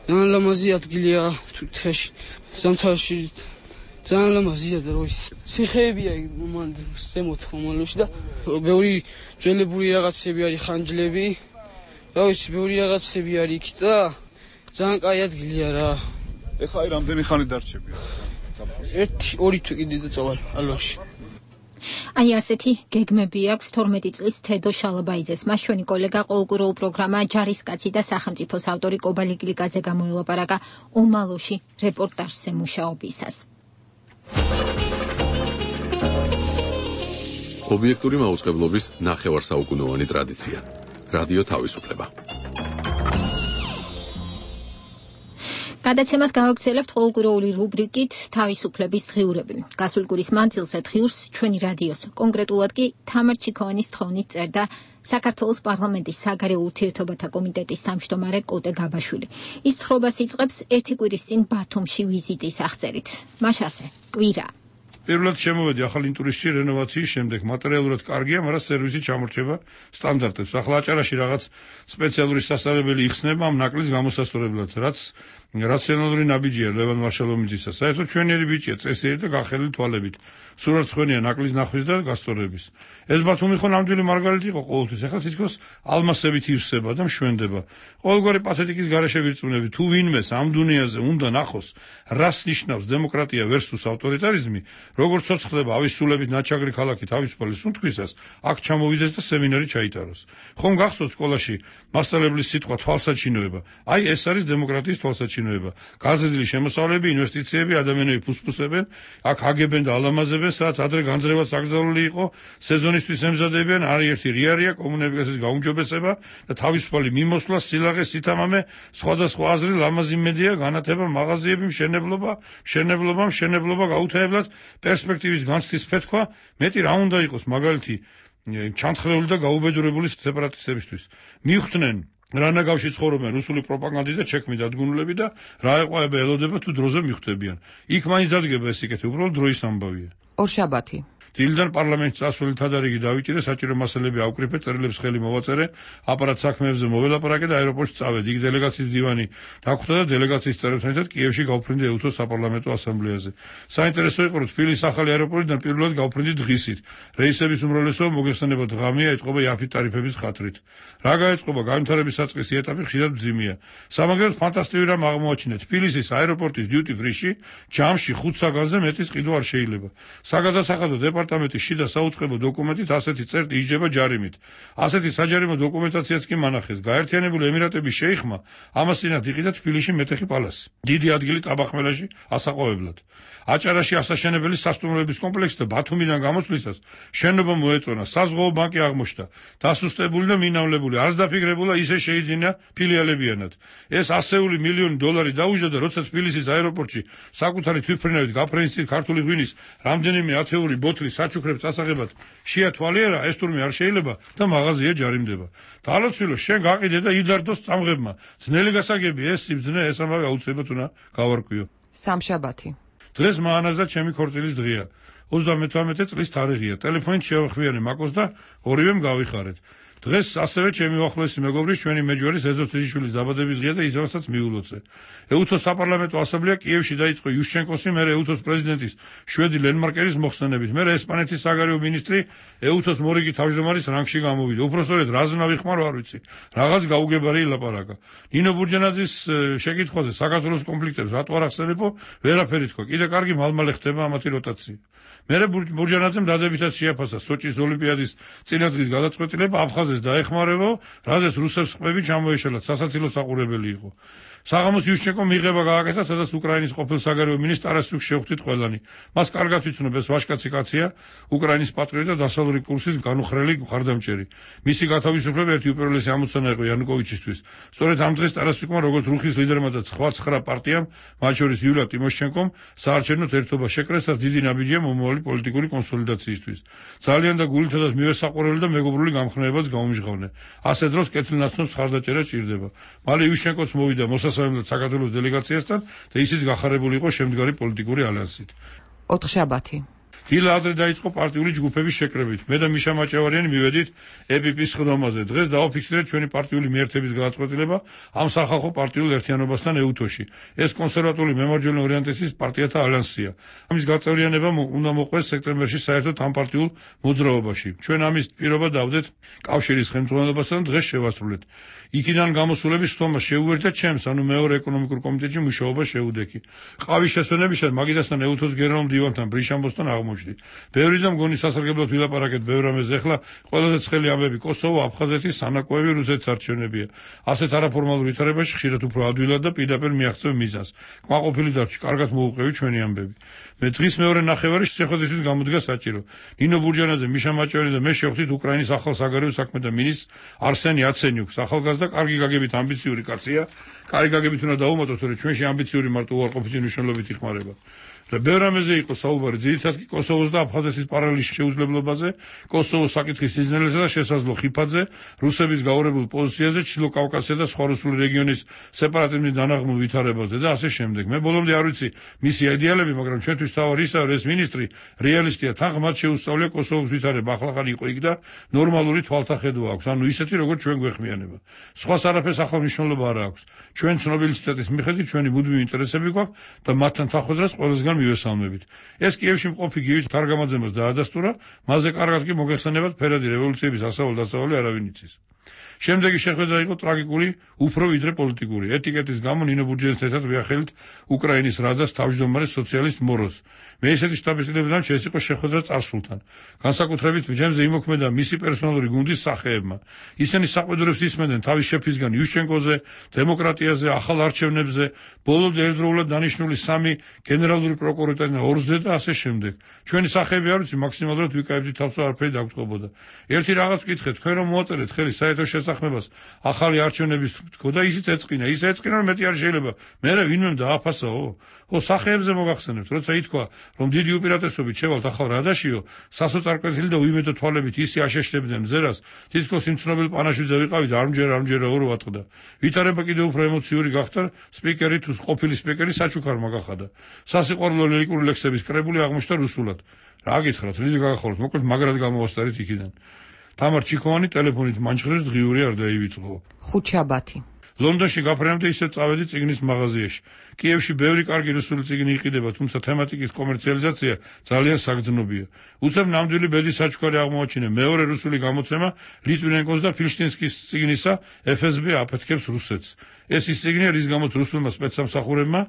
ძალიან ლამაზი ადგილია თუთაში. ზამთარში ძალიან ლამაზია და როის ციხეებია მან ზემოთ ხომალოში და ბევრი ძველებური რაღაცები არის ხანჯლები რა ვიცი ბევრი რაღაცები არის იქ და ძალიან კაი ადგილია რა ეხლა აი რამდენი ხანი დარჩებია ერთი ორი თუ კიდე დაწავალ ალვაში აი ასეთი გეგმები აქვს თორმეტი წლის თედო შალაბაიძეს. მას ჩვენი კოლეგა ყოველკვირეულ პროგრამა ჯარისკაცი და სახელმწიფოს ავტორი კობალი გლიკაძე გამოელაპარაკა ომალოში რეპორტაჟზე მუშაობისას. ობიექტური მაუწყებლობის ნახევარსაუკუნოვანი ტრადიცია. რადიო თავისუფლება. გადაცემას გავაგრძელებთ ყოველკვირეული რუბრიკით თავისუფლების დღიურები. გასულ კვირის მანძილზე დღიურს ჩვენი რადიოს, კონკრეტულად კი თამარ ჩიქოვანის თხოვნით წერდა საქართველოს პარლამენტის საგარეო ურთიერთობათა კომიტეტის თავმჯდომარე კოტე გაბაშვილი. ის თხრობას იწყებს ერთი კვირის წინ ბათუმში ვიზიტის აღწერით. მაშასე, კვირა. პირველად შემოვედი ახალ ინტურისტში რენოვაციის შემდეგ. მატერიალურად კარგია, მაგრამ სერვისი ჩამორჩება სტანდარტებს. ახლა აჭარაში რაღაც სპეციალური სასწავლებელი იხსნება ამ ნაკლის გამოსასწორებლად, რაც რაციონალური ნაბიჯია ლევან მარშალომიძისა. საერთოდ ჩვენიერი ბიჭია, წესიერი და გახელილი თვალებით. სურათ ხვენია ნაკლის ნახვის და გასწორების. ეს ბათუმი ხო ნამდვილი მარგალიტი იყო ყოველთვის. ახლა თითქოს ალმასებით ივსება და მშვენდება. ყოველგვარი პათეტიკის გარეშე ვირწმუნები, თუ ვინმეს ამ დუნიაზე უნდა ნახოს, რას ნიშნავს დემოკრატია versus ავტორიტარიზმი, როგორც ცოცხლდება ავისულებით ნაჩაგრი ქალაქი თავისუფალი სუნთქვისას, აქ ჩამოვიდეს და სემინარი ჩაიტაროს. ხომ გახსოვთ სკოლაში მასწავლებლის სიტყვა თვალსაჩინოება. აი ეს არის დემოკრატიის თვალსაჩინოება. გაზრდილი შემოსავლები, ინვესტიციები, ადამიანები ფუსფუსებენ, აქ აგებენ და ალამაზებენ, სადაც ადრე განძრევაც აკრძალული იყო, სეზონისთვის ემზადებიან, არის ერთი რიარია, კომუნიკაციის გაუმჯობესება და თავისუფალი მიმოსვლა, სილაღე, სითამამე, სხვადასხვა აზრი, ლამაზი მედია, განათება, მაღაზიები, მშენებლობა, მშენებლობა, მშენებლობა გაუთავებლად პერსპექტივის განცდის ფეთქვა, მეტი რა უნდა იყოს მაგალითი ჩანთხრეული და გაუბედურებული სეპარატისტებისთვის. მიხვდნენ რანაგავში ცხოვრობენ რუსული პროპაგანდი და ჩექმი დადგმულები და რა ეყვაება ელოდება თუ დროზე მიხვდებიან. იქ მაინც დადგება ეს სიკეთე, უბრალოდ დროის ამბავია. ორშაბათი დილიდან პარლამენტის წასვლით თადარიგი დავიჭირე, საჭირო მასალები ავკრიფე, წერილებს ხელი მოვაწერე, აპარატ საქმეებზე მოველაპარაკე და აეროპორტში წავედი. იქ დელეგაციის დივანი დაგვხვდა და დელეგაციის წევრებთან ერთად კიევში გავფრინდი ეუთოს საპარლამენტო ასამბლეაზე. საინტერესო იყო, რომ თბილისის ახალი აეროპორტიდან პირველად გავფრინდი დღისით. რეისების უმრავლესობა მოგეხსენება დღამია, ეთყობა იაფი ტარიფების ხათრით. რა გაეწყობა განვითარების საწყისი ეტაპი ხშირად მძიმეა. სამაგერად ფანტასტიკური რამ აღმოაჩინე. თბილისის აეროპორტის duty free-ში ჯამში ხუთ საგანზე მეტის ყიდვა არ შეიძლება. საგადასახადო დეპარტამენტის შიდა საუწყებო დოკუმენტით ასეთი წერტი ისჯება ჯარიმით. ასეთი საჯარიმო დოკუმენტაციაც კი მანახეს. გაერთიანებული ემირატების შეიხმა ამას წინათ იყიდა თბილისში მეტეხი პალასი. დიდი ადგილი ტაბახმელაში ასაყვავებლად. აჭარაში ასაშენებელი სასტუმროების კომპლექსი და ბათუმიდან გამოსვლისას შენობა მოეწონა, საზღვაო ბანკი აღმოჩნდა. დასუსტებული და მინავლებული, არც დაფიქრებულა ისე შეიძინა ფილიალებიანად. ეს ასეული მილიონი დოლარი დაუჯდა და როცა თბილისის აეროპორტში საკუთარი თვითმფრინავით გაფრენის წინ ქართული ღვინის რამდენიმე ათეული ბოთლი საჩუქრებს ასაღებად შეათვალიერა, ეს თურმე არ შეიძლება და მაღაზია ჯარიმდება. დალოცვილო, შენ გაყიდე და იდარდოს წამღებმა. ძნელი გასაგები, ეს სიბძნე, ეს ამავე აუცილებლად უნდა გავარკვიო. სამშაბათი დღეს მაანაზდა ჩემი ქორწილის დღეა. ოცდამეთვრამეტე წლის თარიღია. ტელეფონით შევხვიარე მაკოს და ორივემ გავიხარეთ. დღეს ასევე ჩემი უახლოესი მეგობრის ჩვენი მეჯვარის ეზო თიჟიშვილის დაბადების დღეა და ისევასაც მიულოცე. ეუთოს საპარლამენტო ასამბლეა კიევში დაიწყო იუშჩენკოსი, მერე ეუთოს პრეზიდენტის შვედი ლენმარკერის მოხსენებით, მერე ესპანეთის საგარეო მინისტრი ეუთოს მორიგი თავმჯდომარის რანგში გამოვიდა. უпростоრეთ რაზნა ვიხმარო არ ვიცი. რაღაც გაუგებარი ილაპარაკა. ნინო ბურჯანაძის შეკითხვაზე საქართველოს კონფლიქტებს რატო არ ახსენებო, ვერაფერი თქვა. კიდე კარგი მალმალე ხდება ამათი როტაცია. მერე ბურჯანაძემ დადებითად შეაფასა სოჭის ოლიმპიადის წინადღის გადაწყვეტილება აფხაზეთს დაეხმარებო, რაზეც რუსებს ყბები ჩამოეშალათ, სასაცილო საყურებელი იყო. საღამოს იუშჩენკომ მიღება გააკეთა, სადაც უკრაინის ყოფილ საგარეო მინისტრ ტარასიუკს შევხვდით ყველანი. მას კარგად ვიცნობ, ეს ვაჟკაცი კაცია, უკრაინის პატრიოტი და დასავლური კურსის განუხრელი მხარდამჭერი. მისი გათავისუფლება ერთი უპირველესი ამოცანა იყო იანუკოვიჩისთვის. სწორედ ამ დღეს ტარასიუკმა, როგორც რუხის ლიდერმა და სხვა ცხრა პარტიამ, მათ შორის იულია ტიმოშჩენკომ, საარჩევნო ერთობა შეკრეს და დიდი ნაბიჯია მომავალი პოლიტიკური კონსოლიდაციისთვის. ძალიან და გულითადაც მივესაყურებელი და მეგობრული გამხნევებაც გაუმჟღავნე. ასე დროს კეთილნაცნობს ხარდაჭერა სჭირდება. მალე იუშჩენკოც მოვიდა მოსასალმებლად საქართველოს დელეგაციასთან და ისიც გახარებული იყო შემდგარი პოლიტიკური ალიანსით. ოთხშაბათი დილა ადრე დაიწყო პარტიული ჯგუფების შეკრებით. მე და მიშა მაჭავარიანი მივედით ე პი პის ხდომაზე. დღეს დავაფიქსირეთ ჩვენი პარტიული მიერთების გადაწყვეტილება ამ სახალხო პარტიულ ერთიანობასთან ეუთოში. ეს კონსერვატული მემარჯვენე ორიენტაციის პარტიათა ალიანსია. ამის გაწევრიანება უნდა მოყვეს სექტემბერში საერთოდ ამ პარტიულ მოძრაობაში. ჩვენ ამის პირობა დავდეთ კავშირის ხელმძღვანელობასთან და დღეს შევასრულეთ. იქიდან გამოსულების სტომა შეუერთდა ჩემს, ანუ მეორე ეკონომიკურ კომიტეტში მუშაობა შეუდექი. ყავის შესვენებისას მაგიდასთან ეუთოს გენერალურ მდივანთან ბრიშამბოსთან აღმოჩნდი. ბევრი და მგონი სასარგებლოდ ვილაპარაკეთ ბევრ რამეზე. ეხლა ყველაზე ცხელი ამბები კოსოვო, აფხაზეთი, სანაკოევი, რუსეთის არჩევნებია. ასეთ არაფორმალურ ვითარებაში ხშირად უფრო ადვილად და პირდაპირ მიაღწევ მიზანს. კმაყოფილი დარჩი, კარგად მოუყევი ჩვენი ამბები. მე დღის მეორე ნახევარი შეხვედრისთვის გამოდგა საჭირო. ნინო ბურჯანაძე, მიშა მაჭავარიანი და მე შევხვდით უკრაინის ახალ საგარეო საქმეთა მინისტრს არსენ იაცენიუკს. ახალგაზრდა კარგი გაგებით ამბიციური კაცია. კარგი გაგებით უნდა დავუმატოთ, რომ ჩვენში ამბიციური მარტო უარყოფითი მნიშვნელობით იხმარება. და ბევრ რამეზე იყო საუბარი, ძირითადად კი კოსოვოს და აფხაზეთის პარალელის შეუძლებლობაზე, კოსოვოს საკითხის სიზნელესა და შესაძლო ხიფათზე, რუსების გაურებულ პოზიციაზე, ჩრდილო კავკასია და სხვა რუსული რეგიონის სეპარატიზმის დანაღმულ ვითარებაზე და ასე შემდეგ. მე ბოლომდე არ ვიცი მისი იდეალები, მაგრამ ჩვენთვის თავი ისაა, რომ ეს მინისტრი რეალისტია, თან ღმად შეუსწავლია კოსოვოს ვითარება, ახლა იყო იქ და ნორმალური თვალთახედვა აქვს, ანუ ისეთი როგორც ჩვენ გვეხმიანება. სხვას არაფერს ახლა მნიშვნელობა არ აქვს. ჩვენ ცნობილი ციტატის მიხედვით ჩვენი მუდმივი ინტერესები გვაქვს და მათთან თანხმდას ყველასგან მივესალმებით. ეს კიევში მყოფი გივით თარგამაძემას დაადასტურა, მასზე კარგად კი მოგეხსენებათ ფერადი რევოლუციების ასავალ-დასავალი არავინ იცის. შემდეგი შეხვედრა იყო ტრაგიკული, უფრო ვიდრე პოლიტიკური. ეტიკეტის გამო ნინო ბურჯანაძესთან ერთად ვიახელით უკრაინის რადას თავმჯდომარე სოციალისტ მოროს. მე ისეთი შტაბის-წევრებთან ეს იყო შეხვედრა წარსულთან. განსაკუთრებით ჩემზე იმოქმედა მისი პერსონალური გუნდის სახეებმა. ისინი საყვედურებს ისმენდნენ თავის შეფისგან იუშჩენკოზე, დემოკრატიაზე, ახალ არჩევნებზე, ბოლომდე ერთდროულად დანიშნული სამი გენერალური პროკურორიდან ორზე და ასე შემდეგ. ჩვენი სახეები არ ვიცი, მაქსიმალურად ვიკავებდით თავს, არაფერი დაგწყობოდა. ერთი რაღაც ვკითხეთ, თქვენ რომ მოაწერეთ ხელი საერთო შესაძლებლობას ახალი არჩევნების თქო და ისიც ეწყინა, ის ეწყინა რომ მეტი არ შეიძლება. მე ვინმე დააფასაო? ო სახეებზე მოგახსენებთ, როცა ითქვა, რომ დიდი უპირატესობით შევალთ ახალ რადაშიო, სასოწარკვეთილი და უიმედო თვალებით ისი აშეშდებდნენ მზერას, თითქოს იმ ცნობილ პანაშვიდზე ვიყავით, არმჯერ არმჯერ ორი ვატყდა. ვითარება კიდევ უფრო ემოციური გახდა, სპიკერი თუ ყოფილი სპიკერი საჩუქარმა გახადა. სასიყვარულო ლირიკული ლექსების კრებული აღმოჩნდა რუსულად. რა გითხრათ, რიდი გაგახარულთ, მოკლედ მაგრად გამოვასწარით იქიდან. თამარ ჩიქოვანი ტელეფონით მანჩხრის დღიური არ დაივიწყო. ხუთშაბათი. ლონდონში გაფრენამდე ისე წავედი წიგნის მაღაზიაში. კიევში ბევრი კარგი რუსული წიგნი იყიდება, თუმცა თემატიკის კომერციალიზაცია ძალიან საგრძნობია. უცებ ნამდვილი ბედის საჩუქარი აღმოაჩინე მეორე რუსული გამოცემა ლიტვინენკოს და ფილშტინსკის წიგნისა ეფ ეს ბე აფეთქებს რუსეთს. ეს ის წიგნია, რის გამოც რუსულმა სპეცსამსახურებმა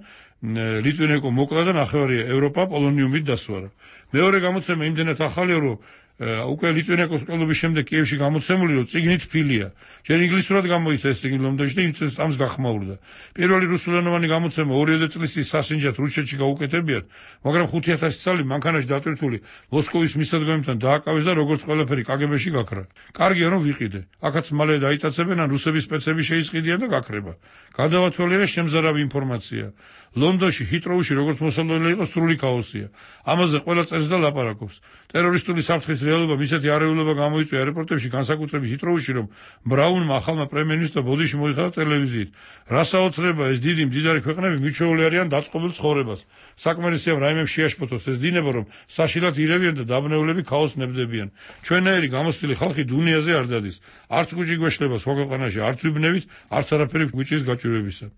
ლიტვინენკო მოკლა და ნახევარი ევროპა პოლონიუმით დასვარა. მეორე გამოცემა იმდენად ახალია, რომ უკვე ლიტვინენკოს ყოლობის შემდეგ კიევში გამოცემული, რომ წიგნით ფილია. ჯერ ინგლისურად გამოიცა ეს წიგნი ლონდონში და იმ წამს გახმაურდა. პირველი რუსულენოვანი გამოცემა ორიოდე წლის სასინჯად რუსეთში გაუკეთებიათ, მაგრამ ხუთი ათასი წელი მანქანაში დატვირთული მოსკოვის მისადგომებთან დააკავეს და როგორც ყველაფერი კა გე ბეში გაქრა. კარგია რომ ვიყიდე. აქაც მალე დაიტაცებენ, ან რუსების სპეცები შეისყიდიან და გაქრება. გადავათვალიერე შემზარავი ინფორმაცია. ლონდონში ჰიტროუში როგორც მოსალოდნელი იყო სრული ქაოსია. ამაზე ყველა წერს და ლაპარაკობს. ტერორისტული საფრთხის რეალობა ისეთი არეულობა გამოიწვია რეპორტებში, განსაკუთრებით ჰიტროუში, რომ ბრაუნმა ახალმა პრემიერ-მინისტრმა ბოდიში მოიხადა ტელევიზიით. რა საოცრება, ეს დიდი მდიდარი ქვეყნები მიჩვეული არიან დაწყობილ ცხოვრებას. საკმარისია რაიმემ შეაშფოთოს ეს დინება, რომ საშილად ირევიან და დაბნეულები ქაოსს ნებდებიან. ჩვენაირი გამოცდილი ხალხი დუნიაზე არ დადის. არც გუჭი გვეშლება სხვა ქვეყანაში, არც ვიბნევით, არც არაფერი გვიჭრის გაჭირვებისა.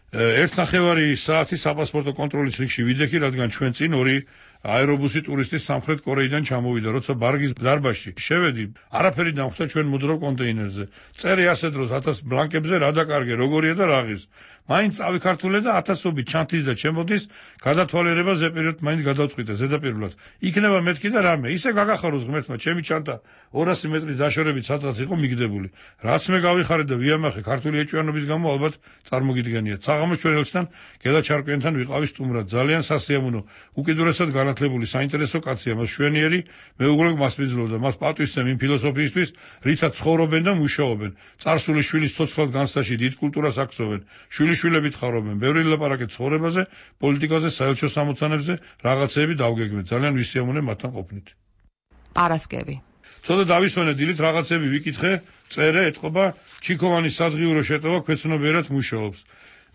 ერთნახევარი საათი საპასპორტო კონტროლის რიგში ვიდექი, რადგან ჩვენ წინ ორი აერობუსი ტურისტი სამხრეთ კორეიდან ჩამოვიდა, როცა ბარგის დარბაზში შევედი, არაფერი დამხვდა ჩვენ მოძრავ კონტეინერზე. წერი ასე დროს ათას ბლანკებზე რა დაკარგე, როგორია და რაღის. მაინც ავიქართულე და ათასობით ჩანთის და ჩემოდის გადათვალიერება ზეპირად მაინც გადავწყვიტე ზედაპირულად. იქნება მეთქი და რამე, ისე გაგახაროს ღმერთმა, ჩემი ჩანთა ორასი მეტრის დაშორებით სადღაც იყო მიგდებული. რაც მე გავიხარე და ვიამახე ქართული ეჭვიანობის გამო ალბათ წარმოგიდგენიათ. საღამოს ჩვენ ელჩთან გელაჩარკვიანთან ვიყავი სტუმრად, ძალიან სასიამოვნო, უკიდურესად განათლებული საინტერესო კაცია, მას შვენიერი მეუღლე მასპინძლობდა, მას პატვისცემ იმ ფილოსოფიისთვის, რითაც ცხოვრობენ და მუშაობენ. წარსული შვილის ცოცხლად განცდაში დიდ კულტურას აქცევენ. შვილიშვილებით ხარობენ, ბევრი ლაპარაკეთ ცხოვრებაზე, პოლიტიკაზე, საელჩო სამოცანებზე, რაღაცეები დავგეგმეთ. ძალიან ვისიამოვნე მათთან ყოფნით. პარასკევი. ცოტა დავისვენე დილით რაღაცები ვიკითხე, წერე, ეთყობა, ჩიქოვანის სადღიურო შეტევა ქვეცნობიერად მუშაობს.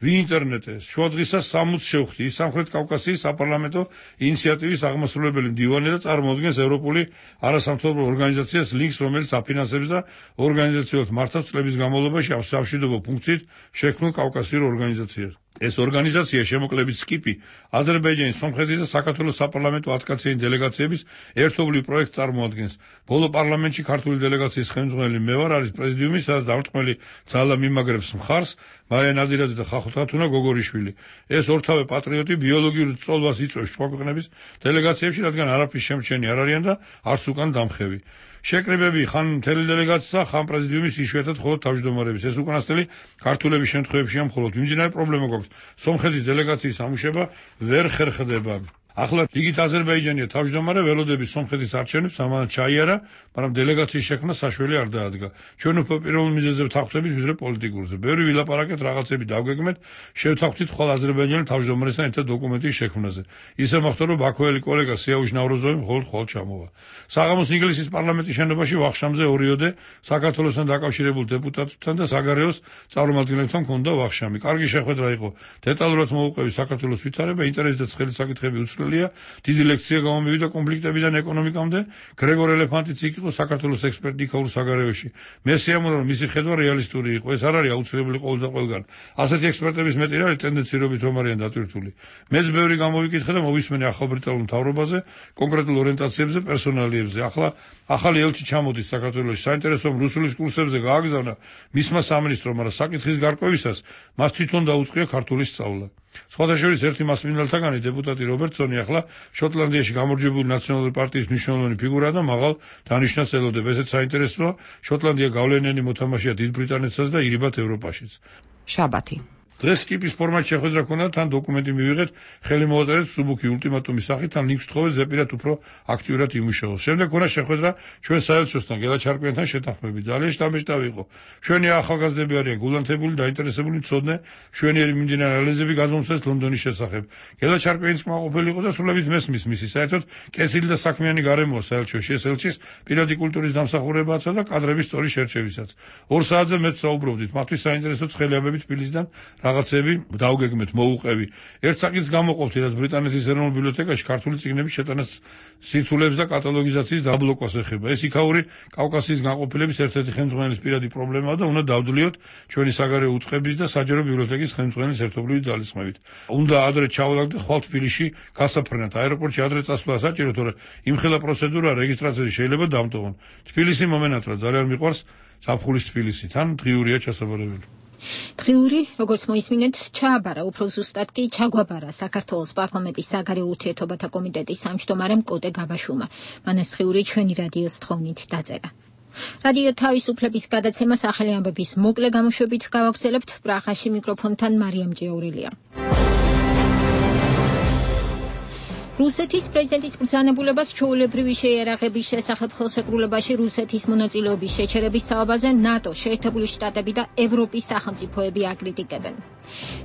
ვინტერნეტეს შუადღისას სამოცს შევხვდი სამხრეთ კავკასიის საპარლამენტო ინიციატივის აღმასრულებელი მდივანი და წარმოადგენს ევროპული არასამთავრობო ორგანიზაციას ლინკს, რომელიც აფინანსებს და ორგანიზაციულად მართავს წლების განმავლობაში ამ სამშვიდობო ფუნქციით შექმნილ კავკასიურ ორგანიზაციას. ეს ორგანიზაცია შემოკლებით სკიპი აზერბაიჯანის, სომხეთის და საქართველოს საპარლამენტო ათკაციანი დელეგაციების ერთობლივ პროექტს წარმოადგენს. ბოლო პარლამენტში ქართული დელეგაციის ხელმძღვანელი მე ვარ, არის პრეზიდიუმი, სადაც დამრტყმელი ძალა მიმაგრებს მხარს მარია ნაზირაძე და ხახუთათუნა გოგორიშვილი. ეს ორთავე პატრიოტი ბიოლოგიურ წოლვას იწვევს სხვა ქვეყნების დელეგაციებში, რადგან არაფრის შემჩენი არ არიან და არც უკან დამხევი. შეკრებები ხან მთელი დელეგაცია, ხან პრეზიდიუმის იშვიათად მხოლოდ თავმჯდომარების. ეს უკანასკნელი ქართულების შემთხვევაშია მხოლოდ. მიმდინარე პრობლემა გვაქვს. სომხეთის დელეგაციის ამუშება ვერ ხერხდება. ახლა რიგით აზერბაიჯანია თავმჯდომარე, ველოდების სომხეთის არჩევნებს ამან ჩაიარა, მაგრამ დელეგაციის შექმნა საშველი არ დაადგა. ჩვენ უფრო პირველ მიზეზზე ვთანხმდებით, ვიდრე პოლიტიკურზე. ბევრი ვილაპარაკეთ, რაღაცები დავგეგმეთ, შევთანხმდით ხოლ აზერბაიჯანის თავმჯდომარესთან ერთად დოკუმენტის შექმნაზე. ისე მოხდა, რომ ბაქოელი კოლეგა სიაუჟ ნავროზოვი მხოლოდ ხოლ ჩამოვა. საღამოს ინგლისის პარლამენტის შენობაში ვახშამზე ორიოდე საქართველოსთან დაკავშირებულ დეპუტატებთან და საგარეოს წარმომადგენლებთან ჰქონდა ვახშამი. კარგი შეხვედრა იყო. დეტალურად მოუყვევი საქართველოს ვითარება, ინტერესი და ცხელი საკითხები უცვლელია. დიდი ლექცია გამომივიდა კონფლიქტებიდან ეკონომიკამდე. გრეგორ ელეფანტიც იქ იყო საქართველოს ექსპერტი იქაურ საგარეოში. მე სიამოვნებდა, რომ მისი ხედვა რეალისტური იყო. ეს არ არის აუცილებელი ყოველ და ყველგან. ასეთი ექსპერტების მეტი არის ტენდენციობით რომ არიან დატვირთული. მეც ბევრი გამოვიკითხე და მოვისმენე ახალ ბრიტანულ მთავრობაზე, კონკრეტულ ორიენტაციებზე, პერსონალიებზე. ახლა ახალი ელჩი ჩამოდის საქართველოში. საინტერესო რომ რუსულის კურსებზე გააგზავნა მისმა სამინისტრომ, მაგრამ საკითხის გარკვევისას მას თვითონ დაუწყია ქართული სწავლა. სხვადასხვა ერთი მასმინდელთაგანი დეპუტატი რობერტსონი ახლა შოტლანდიაში გამარჯვებული ნაციონალური პარტიის მნიშვნელოვანი ფიგურაა და მაღალ დანიშნას ელოდება. ესეც საინტერესოა, შოტლანდია გავლენიანი მოთამაშეა დიდ ბრიტანეთსაც და ირიბად ევროპაშიც. შაბათი. დღეს სკიპის ფორმატში შეხვედრა ქონდა, თან დოკუმენტი მივიღეთ, ხელი მოვაწერეთ სუბუქი ულტიმატუმის სახით, თან ლინკს თხოვეთ ზეპირად უფრო აქტიურად იმუშაოს. შემდეგ ქონდა შეხვედრა ჩვენ საელჩოსთან, გელა ჩარკვიანთან შეთანხმებით. ძალიან შთამბეჭდავი იყო. ჩვენი ახალგაზრდები არიან გულანთებული, დაინტერესებული, მცოდნე, მშვენიერი მიმდინარე ანალიზები გადმოსცეს ლონდონის შესახებ. გელა ჩარკვიანიც კმაყოფილი იყო და სრულებით მესმის მისი. საერთოდ კეთილი და საქმიანი გარემოა საელჩოში. ეს ელჩის პირადი კულტურის დამსახურებაცა და კადრების სწორი შერჩევისაც. ორ საათზე მეც საუბრობდით. მათთვის საინტერესო ცხელიაბებით თბილისიდან რაღაცები დავგეგმეთ, მოუყევი. ერთ საკითხს გამოყოფთ, რაც ბრიტანეთის ეროვნულ ბიბლიოთეკაში ქართული წიგნების შეტანას სირთულეებს და კატალოგიზაციის დაბლოკვას ეხება. ეს იქაური კავკასიის განყოფილების ერთ-ერთი ხელმძღვანელის პირადი პრობლემაა და უნდა დავძლიოთ ჩვენი საგარეო უწყების და საჯარო ბიბლიოთეკის ხელმძღვანელის ერთობლივი ძალისხმევით. უნდა ადრე ჩავალაგდე და ხვალ თბილისში გასაფრენად. აეროპორტში ადრე წასვლა საჭირო, თორემ იმხელა პროცედურა რეგისტრაციაში შეიძლება დამტოვონ. თბილისი მომენატრა, ძალიან მიყვარს ზაფხულის თბილისი. თან დღიურია ჩასაბარებელი. დღიური, როგორც მოისმინეთ, ჩააბარა, უფრო ზუსტად კი ჩაგვაბარა საქართველოს პარლამენტის საგარეო ურთიერთობათა კომიტეტის სამჯდომარემ კოტე გაბაშვილმა. მან ეს დღიური ჩვენი რადიოს თხოვნით დაწერა. რადიო თავისუფლების გადაცემას ახალი ამბების მოკლე გამოშვებით გავაგრძელებთ. პრაღაში მიკროფონთან მარიამ ჯეაურელია. რუსეთის პრეზიდენტის ბრძანებულებას ჩვეულებრივი შეიარაღების შესახებ ხელშეკრულებაში რუსეთის მონაწილეობის შეჩერების საუბარზე ნატო, შეერთებული შტატები და ევროპის სახელმწიფოები აკრიტიკებენ.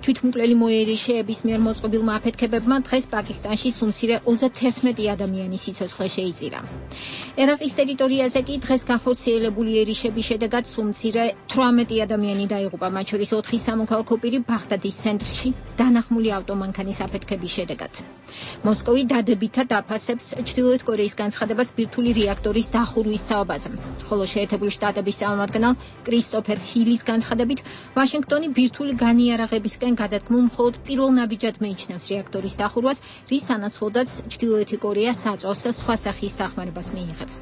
თვითმკვლელი მოერიშეების მიერ მოწყობილმა აფეთქებებმა დღეს პაკისტანში სუმცირე ოცდაერთი ადამიანის სიცოცხლე შეიწირა. ერაყის ტერიტორიაზე კი დღეს განხორციელებული ერიშების შედეგად სუმცირე თვრამეტი ადამიანი დაიღუპა, მათ შორის ოთხი სამოქალაქო პირი ბაღდადის ცენტრში დანახმული ავტომანქანის აფეთქების შედეგად. მოსკოვი დადებითად აფასებს ჩრდილოეთ კორეის განცხადებას ბირთვული რეაქტორის დახურვის საუბარზე. ხოლო შეერთებული შტატების წარმომადგენელ კრისტოფერ ჰილის განცხადებით, ვაშინგტონი ბირთვული განიარაღებისკენ გადადგმულ მხოლოდ პირველ ნაბიჯად მეიჩნევს რეაქტორის დახურვას, რის სანაცვლოდაც ჩრდილოეთი კორეა საწვავს და სხვა სახის დახმარებას მიიღებს.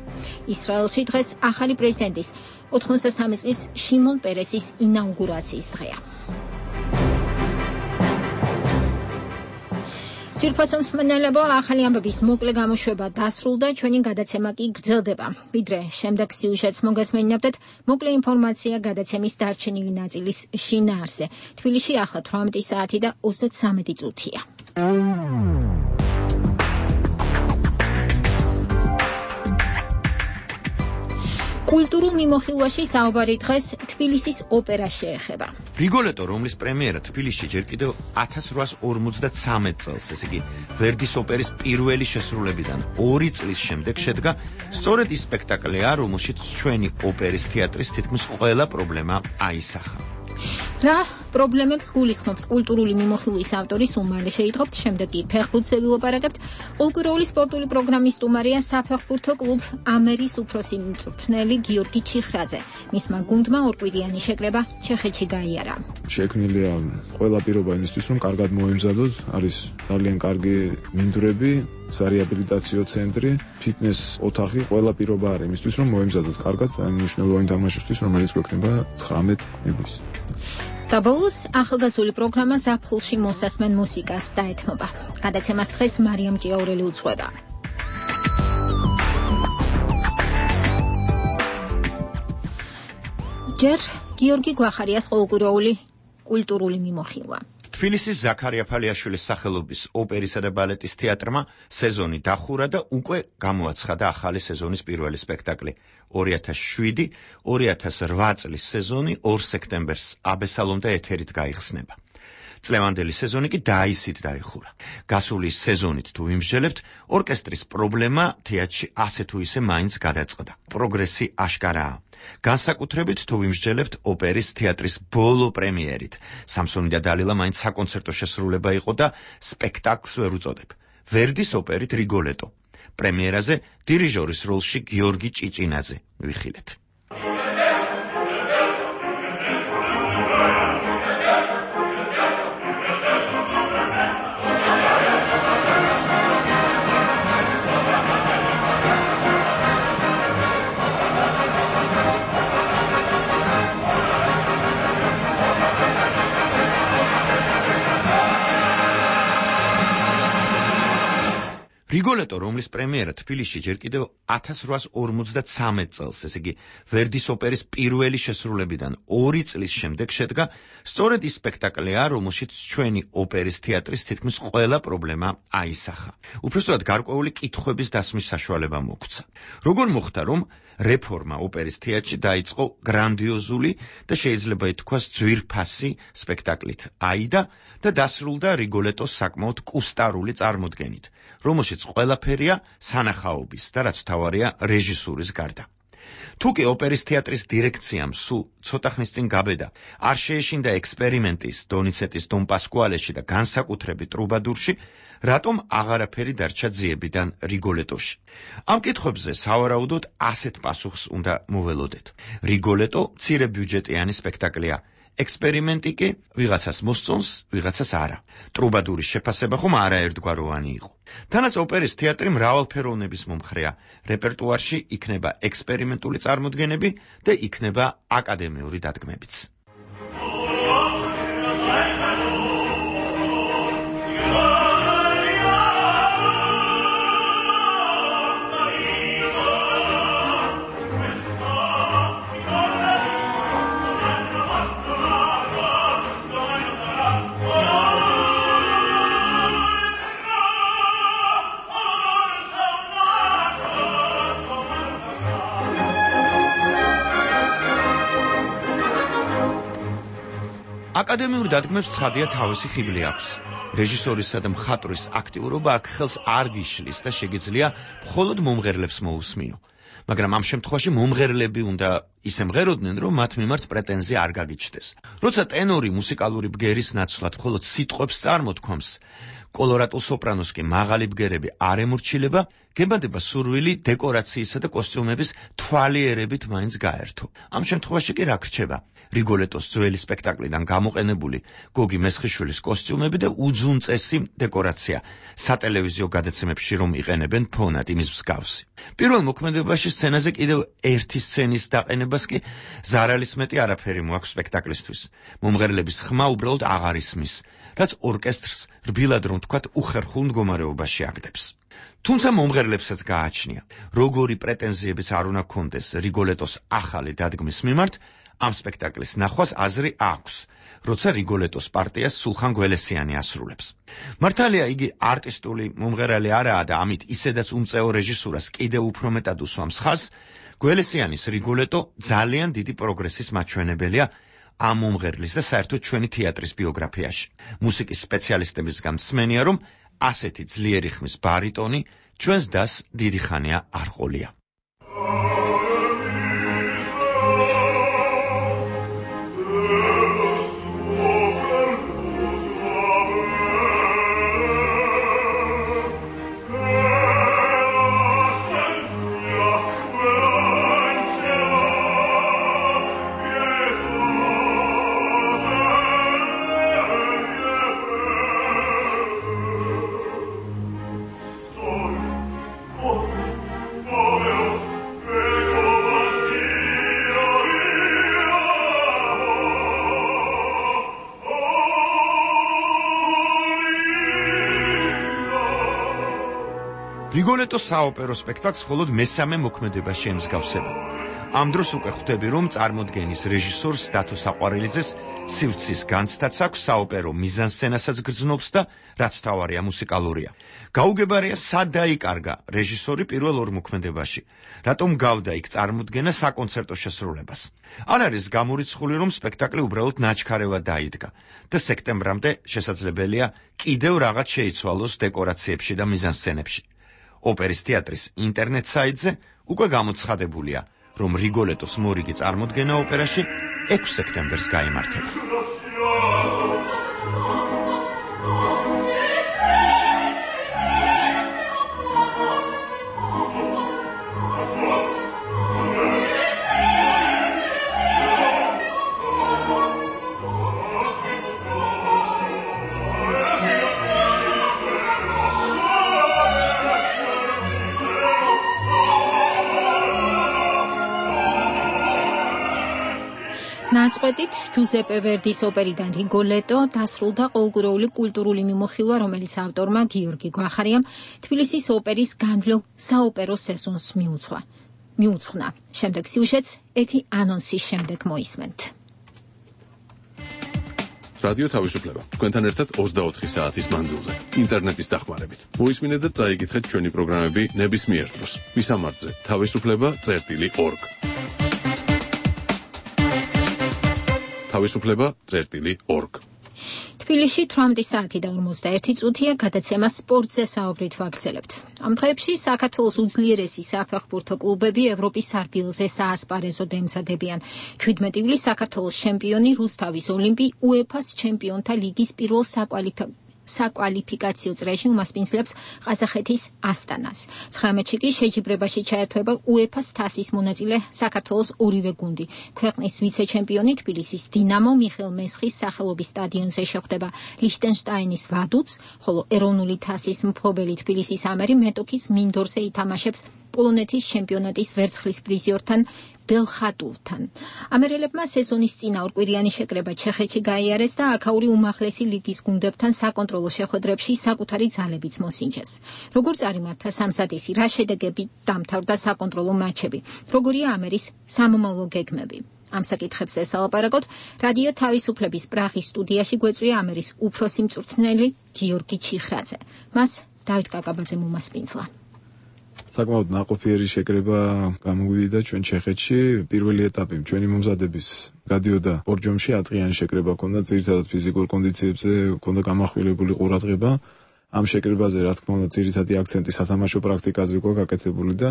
ისრაელში დღეს ახალი პრეზიდენტის ოთხმოცდასამი წლის შიმონ პერესის ინაუგურაციის დღეა. ძირფასონს მენელებო ახალი ამბების მოკლე გამოშვება დასრულდა, ჩვენი გადაცემა კი გრძელდება. ვიდრე შემდეგ სიუჟეტს მოგესმენინებდეთ, მოკლე ინფორმაცია გადაცემის დარჩენილი ნაწილის შინაარსზე. თბილისში ახლა თვრამეტი საათი და ოცდათსამი წუთია. კულტურულ მიმოხილვაში საუბარი დღეს თბილისის ოპერას შეეხება. რიგოლეტო, რომლის პრემიერა თბილისში ჯერ კიდევ ათას რვაას ორმოცდათსამეტ წელს, ესე იგი ვერდის ოპერის პირველი შესრულებიდან ორი წლის შემდეგ შედგა სწორედ ის სპექტაკლია, რომელშიც ჩვენი ოპერის თეატრის თითქმის ყველა პრობლემა აისახა. რა პრობლემებს გულისხმობს კულტურული მიმოხილვის ავტორის უმალე შეიტყობთ, შემდეგ კი ფეხბურთზე ვილაპარაკებთ. ყოველკვირეული სპორტული პროგრამის სტუმარია საფეხბურთო კლუბ ამერის უფროსი მწვრთნელი გიორგი ჩიხრაძე. მისმა გუნდმა ორკვირიანი შეკრება ჩეხეთში გაიარა. შექმნილია ყველა პირობა იმისთვის, რომ კარგად მოემზადოთ, არის ძალიან კარგი მინდვრები, სარეაბილიტაციო ცენტრი, ფიტნეს ოთახი, ყველა პირობა არის იმისთვის, რომ მოემზადოთ კარგად ამ მნიშვნელოვანი თამაშისთვის, რომელიც გვექნება ცხრამეტ ივლის. და ბოლოს ახალგაზრდული პროგრამა ზაფხულში მოსასმენ მუსიკას დაეთმობა. გადაცემას დღეს მარიამ ჭიაურელი უძღვება. ჯერ გიორგი გვახარიას ყოველკვირეული კულტურული მიმოხილვა. თბილისის ზაქარია ფალიაშვილის სახელობის ოპერისა და ბალეტის თეატრმა სეზონი დახურა და უკვე გამოაცხადა ახალი სეზონის პირველი სპექტაკლი. ორი ათას შვიდი ორი ათას რვა წლის სეზონი ორ სექტემბერს აბესალომდა ეთერით გაიხსნება. წლევანდელი სეზონი კი დაისით დაიხურა. გასული სეზონით თუ ვიმსჯელებთ, ორკესტრის პრობლემა თეატრში ასე თუ ისე მაინც გადაწყდა. პროგრესი აშკარაა. განსაკუთრებით თუ ვიმსჯელებთ ოპერის თეატრის ბოლო პრემიერით. სამსონი და დალილა მაინც საკონცერტო შესრულება იყო და სპექტაკლს ვერ უწოდებ. ვერდის ოპერით რიგოლეტო. პრემიერაზე დირიჟორის როლში გიორგი ჭიჭინაძე. ვიხილეთ. რიგოლეტო, რომლის პრემიერა თბილისში ჯერ კიდევ ათას რვაას ორმოცდათსამეტ წელს, ესე იგი ვერდის ოპერის პირველი შესრულებიდან ორი წლის შემდეგ შედგა, სწორედ ის სპექტაკლია, რომელშიც ჩვენი ოპერის თეატრის თითქმის ყველა პრობლემა აისახა. უბრალოდ გარკვეული კითხვების დასმის საშუალება მოგვცა. როგორ მოხდა, რომ რეფორმა ოპერის თეატრში დაიწყო გრანდიოზული და შეიძლება ითქვას ძვირფასი სპექტაკლით აიდა და დასრულდა რიგოლეტოს საკმაოდ კუსტარული წარმოდგენით, რომელშიც ყველაფერია სანახაობის და რაც თავარია რეჟისურის გარდა. თუკი ოპერის თეატრის დირექციამ სულ ცოტა ხნის წინ გაბედა არ შეეშინდა ექსპერიმენტის დონიცეტის დონ პასკუალეში და განსაკუთრებით ტრუბადურში, რატომ აღარაფერი დარჩა ძიებიდან რიგოლეტოში. ამ კითხვებზე სავარაუდოდ ასეთ პასუხს უნდა მოველოდეთ. რიგოლეტო მცირე ბიუჯეტიანი სპექტაკლია. ექსპერიმენტი კი ვიღაცას მოსწონს, ვიღაცას არა. ტრუბადურის შეფასება ხომ არაერთგვაროვანი იყო. თანაც ოპერის თეატრი მრავალფეროვნების მომხრეა. რეპერტუარში იქნება ექსპერიმენტული წარმოდგენები და იქნება აკადემიური დადგმებიც. აკადემიურ დადგმებს ცხადია თავისი ხიბლი აქვს. რეჟისორისა და მხატვრის აქტიურობა აქ ხელს არ გიშლის და შეგიძლია მხოლოდ მომღერლებს მოусმინო. მაგრამ ამ შემთხვევაში მომღერლები უნდა ისე მღეროდნენ, რომ მათ მიმართ პრეტენზია არ გაგიჩნდეს. როცა ტენორი მუსიკალური ბგერის ნაცვლად მხოლოდ სიტყვებს წარმოთქვამს, კოლორატულ სოპრანოს კი მაღალი ბგერები არ ემორჩილება, გებადება სურვილი დეკორაციისა და კოსტიუმების თვალიერებით მაინც გაერთო. ამ შემთხვევაში კი რა გრჩება? რიგოლეტოს ძველი სპექტაკლიდან გამოყენებული გოგი მესხიშვილის კოსტიუმები და უძუნწესი დეკორაცია, სატელევიზიო გადაცემებში რომ იყენებენ ფონად იმის მსგავსი. პირველ მოქმედებაში სცენაზე კიდევ ერთი სცენის დაყენებას კი ზარალის მეტი არაფერი მოაქვს სპექტაკლისთვის. მომღერლების ხმა უბრალოდ აღარ ისმის, რაც ორკესტრს რბილად რომ თქვათ უხერხულ მდგომარეობაში აგდებს. თუმცა მომღერლებსაც გააჩნია, როგორი პრეტენზიებიც არ უნდა კონდეს რიგოლეტოს ახალი დადგმის მიმართ, ამ სპექტაკლის ნახვას აზრი აქვს, როცა რიგოლეტოს პარტიას სულხან გველესიანი ასრულებს. მართალია იგი არტისტული მომღერალი არაა და ამით ისედაც უმწეო რეჟისურას კიდევ უფრო მეტად უსვამს ხაზს, გველესიანის რიგოლეტო ძალიან დიდი პროგრესის მაჩვენებელია ამ მომღერლის და საერთოდ ჩვენი თეატრის ბიოგრაფიაში. მუსიკის სპეციალისტებისგან მსმენია, რომ ასეთი ძლიერი ხმის ბარიტონი ჩვენს დას დიდი ხანია არ ყოლია. რიგოლეტოს საოპერო სპექტაკლს მხოლოდ მესამე მოქმედება შეემსგავსება. ამ დროს უკვე ხვდები, რომ წარმოდგენის რეჟისორს დათო საყვარელიძეს სივრცის განცდაც აქვს, საოპერო მიზანსცენასაც გრძნობს და რაც თავარია მუსიკალურია. გაუგებარია, სად დაიკარგა რეჟისორი პირველ ორ მოქმედებაში, რატომ გავდა იქ წარმოდგენა საკონცერტო შესრულებას. არ არის გამორიცხული, რომ სპექტაკლი უბრალოდ ნაჩქარევად დაიდგა და სექტემბრამდე შესაძლებელია კიდევ რაღაც შეიცვალოს დეკორაციებში და მიზანსცენებში. ოპერის თეატრის ინტერნეტ საიტზე უკვე გამოცხადებულია, რომ რიგოლეტოს მორიგი წარმოდგენა ოპერაში ექვსი სექტემბერს გაიმართება. ნაწყვეტით ჯუზეპე ვერდის ოპერიდან რიგოლეტო დასრულდა ყოველკვირეული კულტურული მიმოხილვა, რომელიც ავტორმა გიორგი გვახარიამ თბილისის ოპერის განვლილ საოპერო სეზონს მიუძღვა. მიუძღვნა. შემდეგ სიუჟეტს ერთი ანონსის შემდეგ მოისმენთ. რადიო თავისუფლება. თქვენთან ერთად ოცდაოთხი საათის მანძილზე, ინტერნეტის დახმარებით. მოისმინეთ და წაიკითხეთ ჩვენი პროგრამები ნებისმიერ დროს. მისამართზე თავისუფლება წერტილი ორგ. თავისუფლება წერტილი ორგ. თბილისში თვრამეტი საათი და ორმოცდაერთი წუთია გადაცემა სპორტზე საუბრით ვაგრძელებთ. ამ დღეებში საქართველოს უძლიერესი საფეხბურთო კლუბები ევროპის სარბილზე საასპარეზოდ ემზადებიან. ჩვიდმეტი ივლის საქართველოს ჩემპიონი რუსთავის ოლიმპი უეფა-ს ჩემპიონთა ლიგის პირველ საკვალიფიკაციო საკვალიფიკაციო წრეში უმასპინძლებს ყაზახეთის ასტანას. ცხრამეტში კი შეჯიბრებაში ჩაერთვება უეფა-ს თასის მონაწილე საქართველოს ორივე გუნდი. ქვეყნის ვიცე-ჩემპიონი თბილისის დინამო მიხეილ მესხის სახელობის სტადიონზე შეხვდება ლიხტენშტაინის ვადუც, ხოლო ეროვნული თასის მფლობელი თბილისის ამერი მეტოქის მინდორზე ითამაშებს პოლონეთის ჩემპიონატის ვერცხლის პრიზიორთან ბელხატულთან. ამერელებმა სეზონის წინა ორკვირიანი შეკრება ჩეხეთში გაიარეს და აქაური უმაღლესი ლიგის გუნდებთან საკონტროლო შეხვედრებში საკუთარი ძალებიც მოსინჯეს. როგორ წარიმართა სამსადისი, რა შედეგებით დამთავრდა საკონტროლო მატჩები, როგორია ამერის სამომავლო გეგმები. ამ საკითხებს ესალაპარაკოთ რადიო თავისუფლების პრაღის სტუდიაში გვეწვია ამერის უფროსი მწვრთნელი გიორგი ჩიხრაძე. მას დავით კაკაბაძე მომასპინძლა. საკმაოდ ნაყოფიერი შეკრება გამოვიდა ჩვენ ჩეხეთში. პირველი ეტაპი ჩვენი მომზადების გადიოდა ბორჯომში, ათღიანი შეკრება ჰქონდა, ძირითადად ფიზიკურ კონდიციებზე ჰქონდა გამახვილებული ყურადღება. ამ შეკრებაზე, რა თქმა უნდა, ძირითადი აქცენტი სათამაშო პრაქტიკაზე იყო გაკეთებული და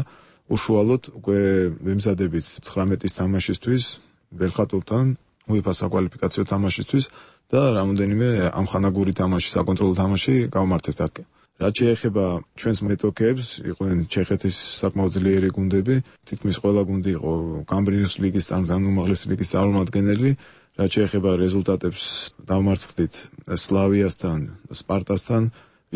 უშუალოდ უკვე ვემზადებით ცხრამეტის თამაშისთვის, ბელხატულთან, უეფა-ს საკვალიფიკაციო თამაშისთვის და რამოდენიმე ამხანაგური თამაში, საკონტროლო თამაში გავმართეთ აქ. რაც შეეხება ჩვენს მეტოქეებს, იყვნენ ჩეხეთის საკმაოდ ძლიერი გუნდები, თითქმის ყველა გუნდი იყო კამბრიოს ლიგის ან უმაღლესი ლიგის წარმომადგენელი. რაც შეეხება რეზულტატებს, დავმარცხდით სლავიასთან, სპარტასთან,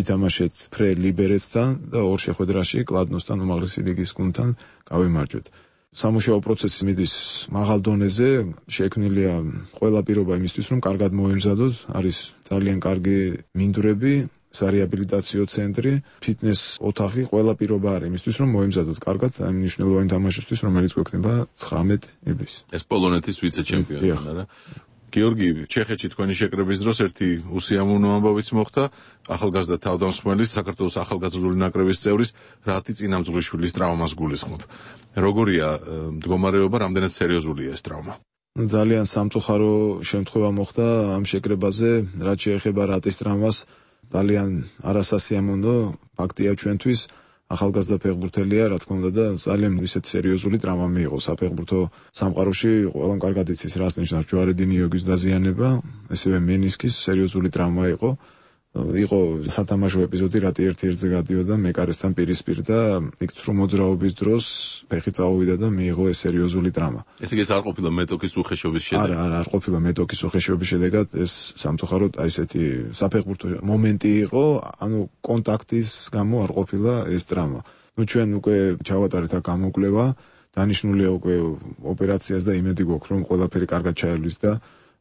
ვითამაშეთ ფრე ლიბერეცთან და ორ შეხვედრაში კლადნოსთან უმაღლესი ლიგის გუნდთან გავიმარჯვეთ. სამუშაო პროცესი მიდის მაღალ დონეზე, შექმნილია ყველა პირობა იმისთვის, რომ კარგად მოემზადოთ, არის ძალიან კარგი მინდვრები, სარეაბილიტაციო ცენტრი, ფიტნეს ოთახი, ყველა პირობა არის იმისთვის, რომ მოემზადოთ კარგად ამ მნიშვნელოვანი თამაშისთვის, რომელიც გვექნება ცხრამეტ ივლისს. ეს პოლონეთის ვიცე-ჩემპიონი არა? გიორგი, ჩეხეთში თქვენი შეკრების დროს ერთი უსიამოვნო ამბავიც მოხდა, ახალგაზრდა თავდამსხმელის, საქართველოს ახალგაზრდული ნაკრების წევრის რატი წინამძღვრიშვილის ტრავმას გულისხმობ. როგორია მდგომარეობა, რამდენად სერიოზულია ეს ტრავმა? ძალიან სამწუხარო შემთხვევა მოხდა ამ შეკრებაზე, რაც შეეხება რატის ტრავმას. ძალიან არასასიამოვნო ფაქტია ჩვენთვის. ახალგაზრდა ფეხბურთელია, რა თქმა უნდა და ძალიან ისეთ სერიოზული ტრავმა მიიღო საფეხბურთო სამყაროში. ყველამ კარგად იცის, რას ნიშნავს ჯვარედი ნიოგის დაზიანება, ესევე მენისკის სერიოზული ტრავმა იყო. იყო სათამაშო ეპიზოდი, რატი ერთ-ერთზე გადიოდა მეკარესთან პირისპირ და იქ ცრუ მოძრაობის დროს ფეხი წაუვიდა და მიიღო ეს სერიოზული ტრავმა. ესე იგი ეს არ ყოფილა მეტოქის უხეშობის შედეგად? არა, არა, არ ყოფილა მეტოქის უხეშობის შედეგად, ეს სამწუხაროდ აი ესეთი საფეხბურთო მომენტი იყო, ანუ კონტაქტის გამო არ ყოფილა ეს ტრავმა. ნუ ჩვენ უკვე ჩავატარეთ აქ გამოკვლევა, დანიშნულია უკვე ოპერაციას და იმედი გვაქვს, რომ ყველაფერი კარგად ჩაივლის და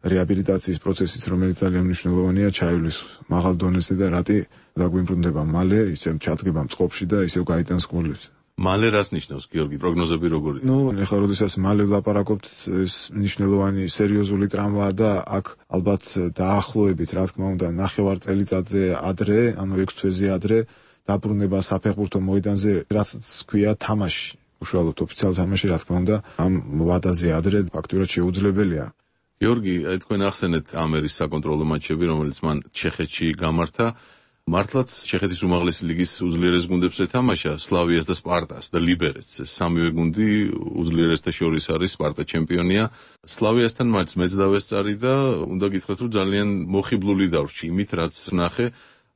რეაბილიტაციის პროცესიც, რომელიც ძალიან მნიშვნელოვანია, ჩაივლის მაღალ დონეზე და რატი დაგვიმბრუნდება მალე, ისევ ჩადგება წყობაში და ისევ გაიტანს გოლებს. მალე რას ნიშნავს გიორგი? პროგნოზები როგორია? ნუ, ეხლა როდესაც მალე ვლაპარაკობთ, ეს მნიშვნელოვანი სერიოზული ტრამვაა და აქ ალბათ დაახლოებით, რა თქმა უნდა, ნახევარ წელიწადზე ადრე, ანუ ექვს თვეზე ადრე დაბრუნება საფეხბურთო მოედანზე, რასაც ქვია თამაში. უშუალოდ ოფიციალურ თამაში, რა თქმა უნდა, ამ ვადაზე ადრე ფაქტურად შეუძლებელია. გიორგი, თქვენ ახსენეთ ამერის საკონტროლო მატჩები, რომელიც მან ჩეხეთში გამართა. მართლაც ჩეხეთის უმაღლესი ლიგის უძლიერეს გუნდებს ეთამაშა, სლავიას და სპარტას და ლიბერეცს. ეს სამივე გუნდი უძლიერესთა შორის არის, სპარტა ჩემპიონია. სლავიასთან მატჩს მეც დავესწარი და უნდა გითხრათ, რომ ძალიან მოხიბლული დავრჩი იმით, რაც ნახე.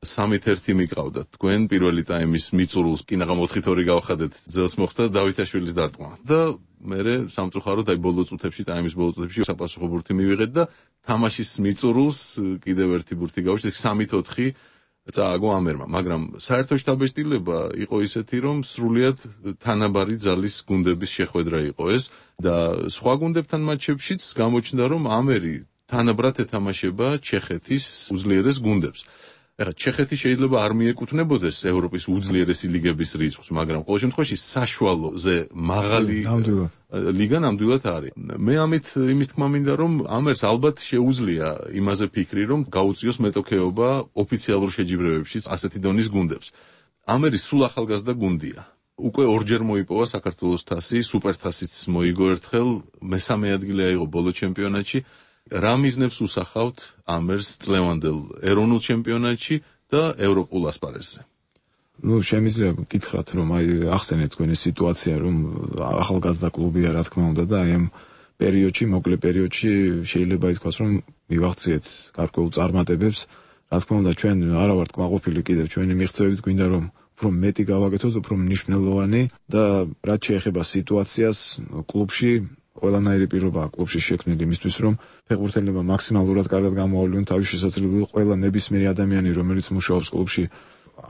სამით ერთი მიყავდათ. თქვენ პირველი ტაიმის მიწურულს კინაღამ ოთხით ორი გავხადეთ, ძელს მოხდა დავითაშვილის დარტყმა. და მერე სამწუხაროდ აი ბოლო წუთებში, ტაიმის ბოლო წუთებში საპასუხო ბურთი მივიღეთ და თამაშის მიწურულს კიდევ ერთი ბურთი გავუშვით, სამით ოთხი წააგო ამერმა, მაგრამ საერთო შტაბეშტილება იყო ისეთი, რომ სრულიად თანაბარი ძალის გუნდების შეხვედრა იყო ეს და სხვა გუნდებთან მატჩებშიც გამოჩნდა, რომ ამერი თანაბრად ეთამაშება ჩეხეთის უძლიერეს გუნდებს. ეხლა ჩეხეთი შეიძლება არ მიეკუთვნებოდეს ევროპის უძლიერესი ლიგების რიცხვს, მაგრამ ყოველ შემთხვევაში საშუალოზე მაღალი ლიგა ნამდვილად არის. მე ამით იმის თქმა მინდა, რომ ამერს ალბათ შეუძლია იმაზე ფიქრი, რომ გაუწიოს მეტოქეობა ოფიციალურ შეჯიბრებებშიც ასეთი დონის გუნდებს. ამერი სულ ახალგაზრდა გუნდია. უკვე ორჯერ მოიპოვა საქართველოს თასი, სუპერთასიც მოიგო ერთხელ, მესამე ადგილი აიღო ბოლო ჩემპიონატში. რა მიზნებს უსახავთ ამერს წლევანდელ ეროვნულ ჩემპიონატში და ევროპულ ასპარეზზე? ნუ შემიძლია გითხრათ, რომ აი ახსენეთ თქვენი სიტუაცია, რომ ახალგაზრდა კლუბია, რა თქმა უნდა და აი ამ პერიოდში, მოკლე პერიოდში შეიძლება ითქვას, რომ მივახციეთ გარკვეულ წარმატებებს. რა თქმა უნდა, ჩვენ არ ვართ კმაყოფილი კიდევ ჩვენი მიღწევით, გვინდა რომ უფრო მეტი გავაკეთოთ, უფრო მნიშვნელოვანი და რაც შეეხება სიტუაციას კლუბში, ყველანაირი პირობაა კლუბში შექმნილი იმისთვის, რომ ფეხბურთელებმა მაქსიმალურად კარგად გამოავლინონ თავის შესაძლებლობა. ყველა ნებისმიერი ადამიანი, რომელიც მუშაობს კლუბში,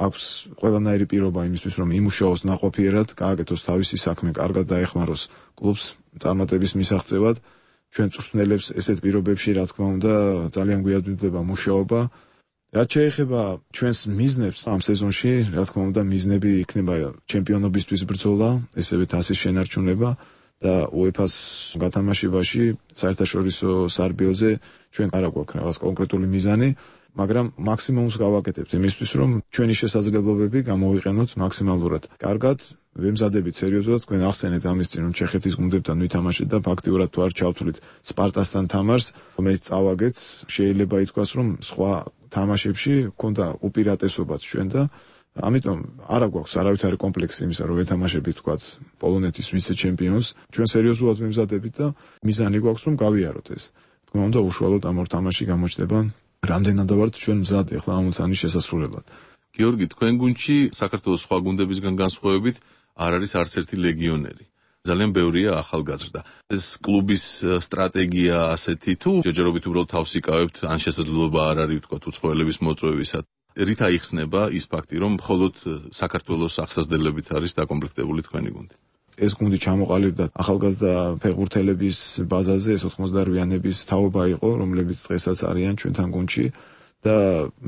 აქვს ყველანაირი პირობა იმისთვის, რომ იმუშაოს ნაყოფიერად, გააკეთოს თავისი საქმე, კარგად დაეხმაროს კლუბს წარმატების მისაღწევად. ჩვენ წვრთნელებს ესეთ პირობებში, რა თქმა უნდა, ძალიან გვიადვილდება მუშაობა. რაც შეეხება ჩვენს მიზნებს ამ სეზონში, რა თქმა უნდა, მიზნები იქნება ჩემპიონობისთვის ბრძოლა, ესევე თასის შენარჩუნება. და უეფას გათამაშებაში საერთაშორისო სარბიელზე ჩვენ არ აქვს რაღაც კონკრეტული მიზანი, მაგრამ მაქსიმუმს გავაკეთებთ იმისთვის, რომ ჩვენი შესაძლებლობები გამოვიყენოთ მაქსიმალურად. კარგად, ვემზადებით სერიოზულად, თქვენ ახსენეთ ამის წინ, რომ ჩეხეთის გუნდებთან ვითამაშეთ და ფაქტიურად თუ არ ჩავთვლით სპარტასთან თამაშს, რომელიც წავაგეთ, შეიძლება ითქვას, რომ სხვა თამაშებში ქონდა უპირატესობაც ჩვენ და ამიტომ არა გვაქვს არავითარი კომპლექსი იმისა, რომ ვეთამაშებით თქვათ პოლონეთის ვიცე-ჩემპიონს. ჩვენ სერიოზულად ვემზადებით და მიზანი გვაქვს, რომ გავიაროთ ეს. თქმა უნდა, უშუალოდ ამ ორ თამაში გამოჩნდება რამდენად ვართ ჩვენ მზად ახლა ამ მოცანის შესასრულებლად. გიორგი, თქვენ გუნდში საქართველოს სხვა გუნდებისგან განსხვავებით არ არის არც ერთი ლეგიონერი. ძალიან ბევრია ახალგაზრდა. ეს კლუბის სტრატეგია ასეთი თუ ჯერჯერობით უბრალოდ თავს იკავებთ, ან შესაძლებლობა არ არის თქვათ უცხოელების მოწვევისა. რით აიხსნება ის ფაქტი, რომ მხოლოდ საქართველოს აღსაზრდელებით არის დაკომპლექტებული თქვენი გუნდი? ეს გუნდი ჩამოყალიბდა ახალგაზრდა ფეხბურთელების ბაზაზე, ეს ოცდაოთხმოცდაოთხიანების თაობა იყო, რომლებიც დღესაც არიან ჩვენთან გუნდში და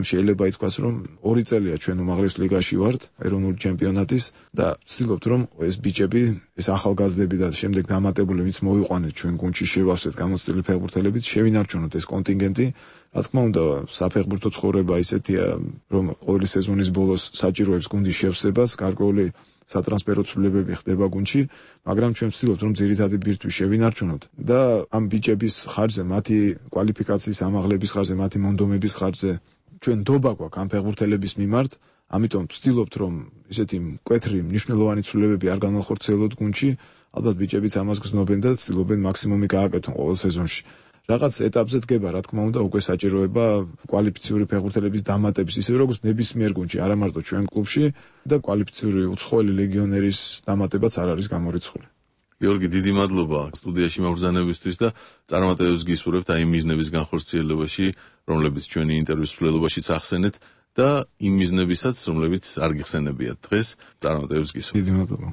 შეიძლება ითქვას, რომ ორი წელია ჩვენ უმაღლეს ლიგაში ვართ, ეროვნული ჩემპიონატის და ვცდილობთ, რომ ეს ბიჭები, ეს ახალგაზრდები და შემდეგ დამატებული ვინც მოვიყვანეთ ჩვენ გუნდში შევავსეთ გამოცდილი ფეხბურთელებით, შევინარჩუნოთ ეს კონტინგენტი. რა თქმა უნდა, საფეხბურთო ცხოვრება ისეთია, რომ ყოველი სეზონის ბოლოს საჭიროებს გუნდის შევსებას, გარკვეული სატრანსფერო ცვლილებები ხდება გუნდში, მაგრამ ჩვენ ვცდილობთ, რომ ძირითადი ბირთვი შევინარჩუნოთ და ამ ბიჭების ხარჯზე, მათი კვალიფიკაციის ამაღლების ხარჯზე, მათი მონდომების ხარჯზე ჩვენ ნდობა გვაქვს ამ ფეხბურთელების მიმართ, ამიტომ ვცდილობთ, რომ ისეთი მკვეთრი მნიშვნელოვანი ცვლილებები არ განახორციელოთ გუნდში, ალბათ ბიჭებიც ამას გრძნობენ და ვცდილობენ მაქსიმუმი გააკეთონ ყოველ სეზონში. რაღაც ეტაპზე დგება, რა თქმა უნდა, უკვე საჭიროება კვალიფიციური ფეხბურთელების დამატების, ისე როგორც ნებისმიერ გუნდში, არა მარტო ჩვენ კლუბში და კვალიფიციური უცხოელი ლეგიონერის დამატებაც არ არის გამორიცხული. გიორგი, დიდი მადლობა სტუდიაში მობრძანებისთვის და წარმატებებს გისურვებთ აი მიზნების განხორციელებაში, რომლებიც ჩვენი ინტერვიუს მსვლელობაშიც ახსენეთ და იმ მიზნებისაც, რომლებიც არ გიხსენებიათ დღეს, წარმატებებს გისურვებთ. დიდი მადლობა.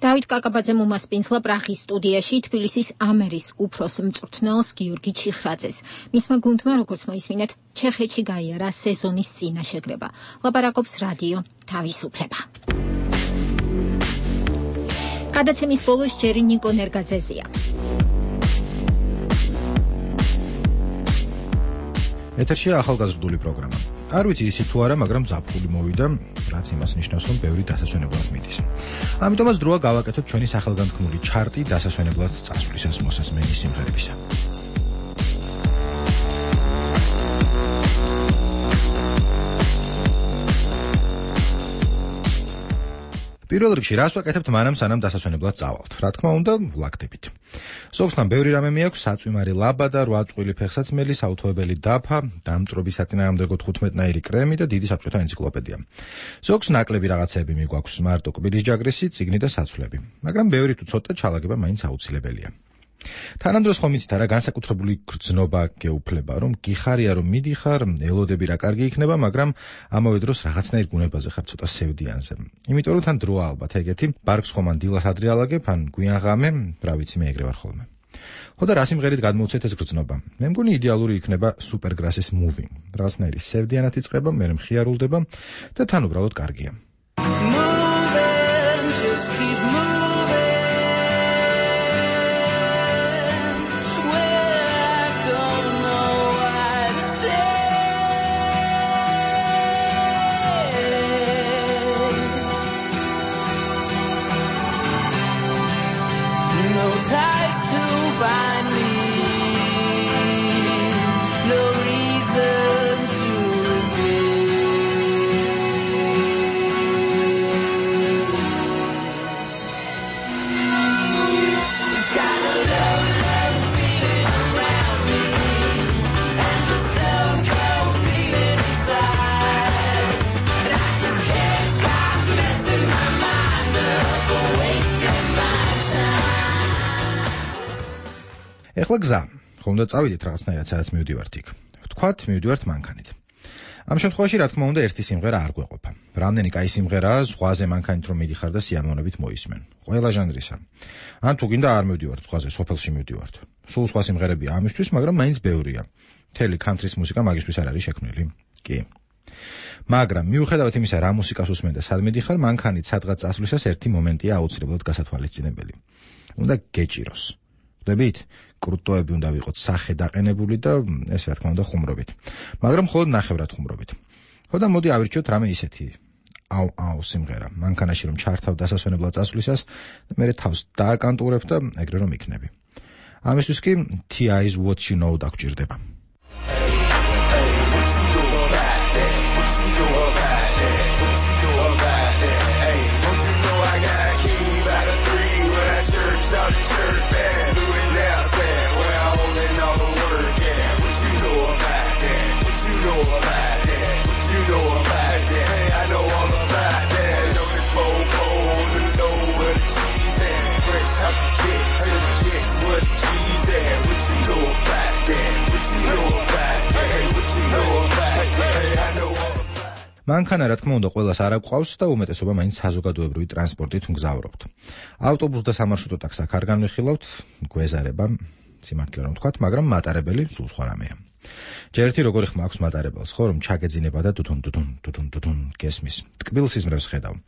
დავით კაკაბაძემ უმასპინძლა პრაღის სტუდიაში თბილისის ამერის უფროს მწვრთნელს გიორგი ჩიხრაძეს. მისმა გუნდმა, როგორც მოისმინეთ, ჩეხეთში გაიარა სეზონის წინა შეკრება. ლაპარაკობს რადიო თავისუფლება. გადაცემის ბოლოს ჯერი ნიკო ნერგაძეზია. ეთერშია ახალგაზრდული პროგრამა. არ ვიცი ისიც თუ არა, მაგრამ ზაფხული მოვიდა, რაც იმას ნიშნავს, რომ ბევრი დასასვენებლად მიდის. ამიტომაც დროა გავაკეთოთ ჩვენი სახელგანთქმული ჩარტი დასასვენებლად წასვლისას მოსასმენი სიმღერებისა. პირველ რიგში რას ვაკეთებთ მანამ სანამ დასასვენებლად წავალთ? რა თქმა უნდა, ვლაგდებით. ზოგსთან ბევრი რამე მეაქვს, საწვიმარი ლაბადა, რვა წყვილი ფეხსაცმელი, საუთოებელი დაფა, დამწვრობი საწინააღმდეგო თხუთმეტნაირი კრემი და დიდი საბჭოთა ენციკლოპედია. ზოგს ნაკლები რაღაცეები მიგვაქვს, მარტო კბილის ჯაგრისი, წიგნი და საცვლები. მაგრამ ბევრი თუ ცოტა ჩალაგება მაინც აუცილებელია. თანამდროს ხომ იცით არა, განსაკუთრებული გრძნობა გეუფლება, რომ გიხარია რომ მიდიხარ, ელოდები რა კარგი იქნება, მაგრამ ამავე დროს რაღაცნაირ გუნებაზე ხარ ცოტა სევდიანზე. იმიტომ რომ თან დროა ალბათ ეგეთი, ბარგს ხომ ან დილას ადრე ალაგებ, ან გვიან ღამე, რა ვიცი, მე ეგრე ვარ ხოლმე. ხო და რა სიმღერით გადმოვცეთ ეს გრძნობა? მე მგონი იდეალური იქნება Supergrass-ის Moving. რაღაცნაირი სევდიანად იწყება, მე მხიარულდება და თან უბრალოდ კარგია. Moving, just keep moving. ეხლა გზა. ხომ და წავიდეთ რაღაცნაირად სადაც მივდივართ იქ. ვთქვათ, მივდივართ მანქანით. ამ შემთხვევაში რა თქმა უნდა ერთი სიმღერა არ გვეყოფა. რამდენი კაი სიმღერაა ზღვაზე მანქანით რომ მიდიხარ და სიამოვნებით მოისმენ. ყველა ჟანრისა. ან თუ გინდა არ მივდივართ ზღვაზე, სოფელში მივდივართ. სულ სხვა სიმღერებია ამისთვის, მაგრამ მაინც ბევრია. მთელი country-ის მუსიკა მაგისთვის არ არის შექმნილი. კი. მაგრამ მიუხედავად იმისა, რა მუსიკას უსმენ და სად მიდიხარ, მანქანით სადღაც წასვლისას ერთი მომენტია აუცილებლად გასათვალისწინებელი. უნდა გეჭიროს. ხვდებით? კრუტოები უნდა ვიყოთ სახე დაყენებული და ეს რა თქმა უნდა ხუმრობით. მაგრამ მხოლოდ ნახევრად ხუმრობით. ხო და მოდი ავირჩიოთ რამე ისეთი. აუ აუ სიმღერა. მანქანაში რომ ჩართავ დასასვენებლად წასვლისას, მე თავს დააკანტურებ და ეგრე რომ იქნები. ამისთვის კი T I-ს What You Know დაგჭირდება. მანქანა რა თქმა უნდა ყველას არ აკვყავს და უმეტესობა მაინც საზოგადოებრივი ტრანსპორტით მგზავრობთ. ავტობუსს და სამარშრუტო ტაქსს აქ არ განვიხილავთ, გვეზარება, სიმართლე რომ ვთქვათ, მაგრამ მატარებელი სულ სხვა რამეა. ჯერ ერთი როგორი ხმა აქვს მატარებელს, ხო, რომ ჩაგეძინება და დუდუნ დუდუნ დუდუნ დუდუნ გესმის. ტკბილ სიზმრებს ხედავ.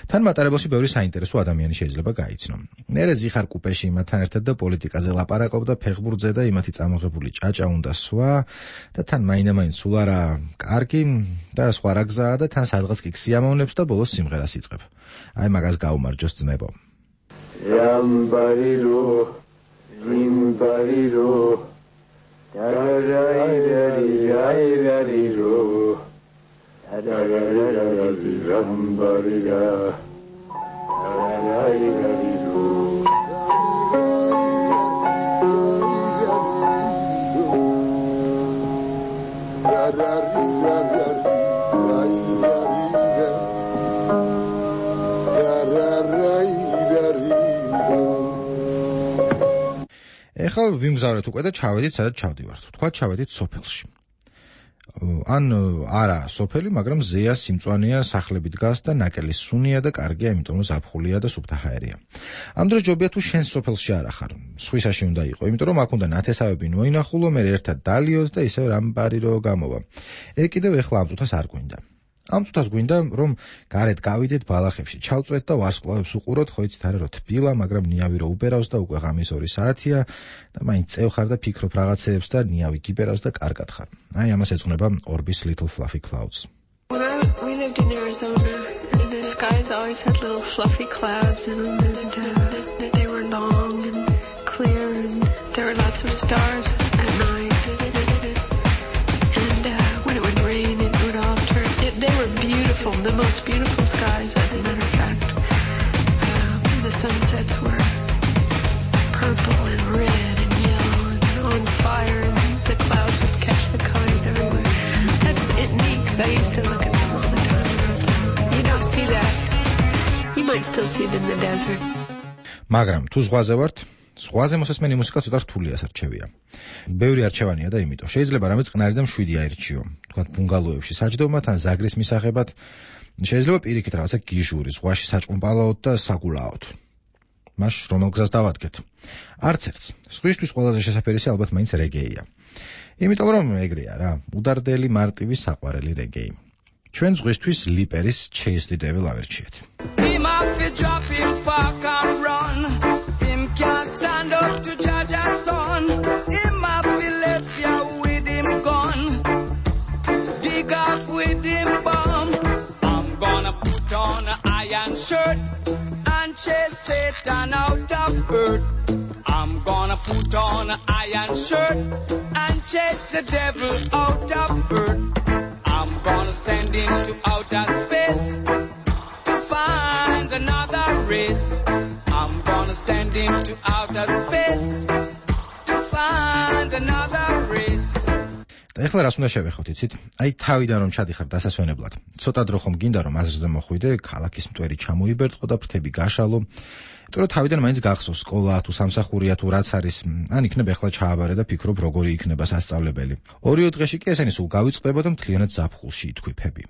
თან მატარებელში ბევრი საინტერესო ადამიანი შეიძლება გაიცნო. მერე ზიხარ კუპეში იმათთან ერთად და პოლიტიკაზე ლაპარაკობ და ფეხბურთზე და იმათი წამოღებული ჭაჭა უნდა სვა და თან მაინდა-მაინც სულ არა კარგი და სხვა რა გზაა და თან სადღაც კი სიამოვნებს და ბოლოს სიმღერას იწყებ. აი მაგას გაუმარჯოს ძმებო. Yambariro, Yimbariro, Tararayarayarayariro, Tararayarayarambariga, Tararayarayariro. ეხლა ვიმგზავრეთ უკვე და ჩავედით სადაც ჩავდივართ. თქვა ჩავედით სოფელში. ან არა სოფელი, მაგრამ ზეა სიმწვანეა, სახლები დგას და ნაკელი სუნია და კარგია, იმიტომ რომ ზაფხულია და სუფთა ჰაერია. ამ დროს ჯობია თუ შენ სოფელში არ ახარ, სხვისაში უნდა იყო, იმიტომ რომ აქ უნდა ნათესავები მოინახულო, მე ერთად დალიოს და ისევ რამბარი რო გამოვა. ეგ კიდევ ეხლა ამ წუთას არ გვინდა. ამ წუთას გვინდა რომ გარეთ გავიდეთ ბალახებში, ჩავწვეთ და ვარსკვლავებს უყუროთ, ხო იცით არა რომ თბილა, მაგრამ ნიავი რო უბერავს და უკვე ღამის ორი საათია და მაინც წევხარ და ფიქრობ რაღაცეებს და ნიავი გიბერავს და კარგად ხარ. აი ამას ეძღვნება Orbis Little Fluffy Clouds. We lived in Arizona, and the skies always had little fluffy clouds in them, and uh, they were long and clear, and there were lots of stars at night. And uh, when it would rain, it would all turn. It, they were beautiful, the most beautiful skies, as a matter of fact. Uh, the sunsets were purple and red and yellow and on fire, and the clouds would catch the colors everywhere. That's it neat, because I used to look at them all the time. You don't see that. You might still see them in the desert. მაგრამ თუ ზღვაზე ვართ, ზღვაზე მოსასმენი მუსიკა ცოტა რთულია სარჩევია. ბევრი არჩევანია და იმიტომ შეიძლება რამე წყნარი და მშვიდი აირჩიო. თქვათ ბუნგალოებში საჯდომად ან ზაგრის მისაღებად, შეიძლება პირიქით რაღაცა გიჟური, ზღვაში საჭმპალაოდ და საგულაოდ. მას რომელ გზას დავადგეთ? არც ერთს. სხვისთვის ყველაზე შესაძლებელია ალბათ მაინც რეგეია. იმიტომ რომ ეგრეა რა, უდარდელი მარტივი საყვარელი რეგეი. ჩვენ ზღვისთვის ლიპერის Chase the Devil ავერჩიეთ. Him off you drop him fuck and run. Him can't stand up to judge our son. Him off you left you with him gun. Dig off with him bomb. I'm gonna put on an iron shirt and chase Satan out of earth. I'm gonna put on an iron shirt and chase the devil out of earth. I'm gonna send him to outer space to find another race. I'm gonna send him to outer space to find another race. და ეხლა რას უნდა შევეხოთ, იცით? აი თავიდან რომ ჩადიხარ დასასვენებლად. ცოტა დრო ხომ გინდა რომ აზრზე მოხვიდე, ქალაქის მტვერი ჩამოიბერტყო და ფრთები გაშალო. იმიტომ რომ თავიდან მაინც გახსოვს სკოლა თუ სამსახურია თუ რაც არის, ან იქნებ ეხლა ჩააბარე და ფიქრობ როგორი იქნება სასწავლებელი. ორიო დღეში კი ესენი სულ გავიწყდება და მთლიანად ზაფხულში ითქვიფები.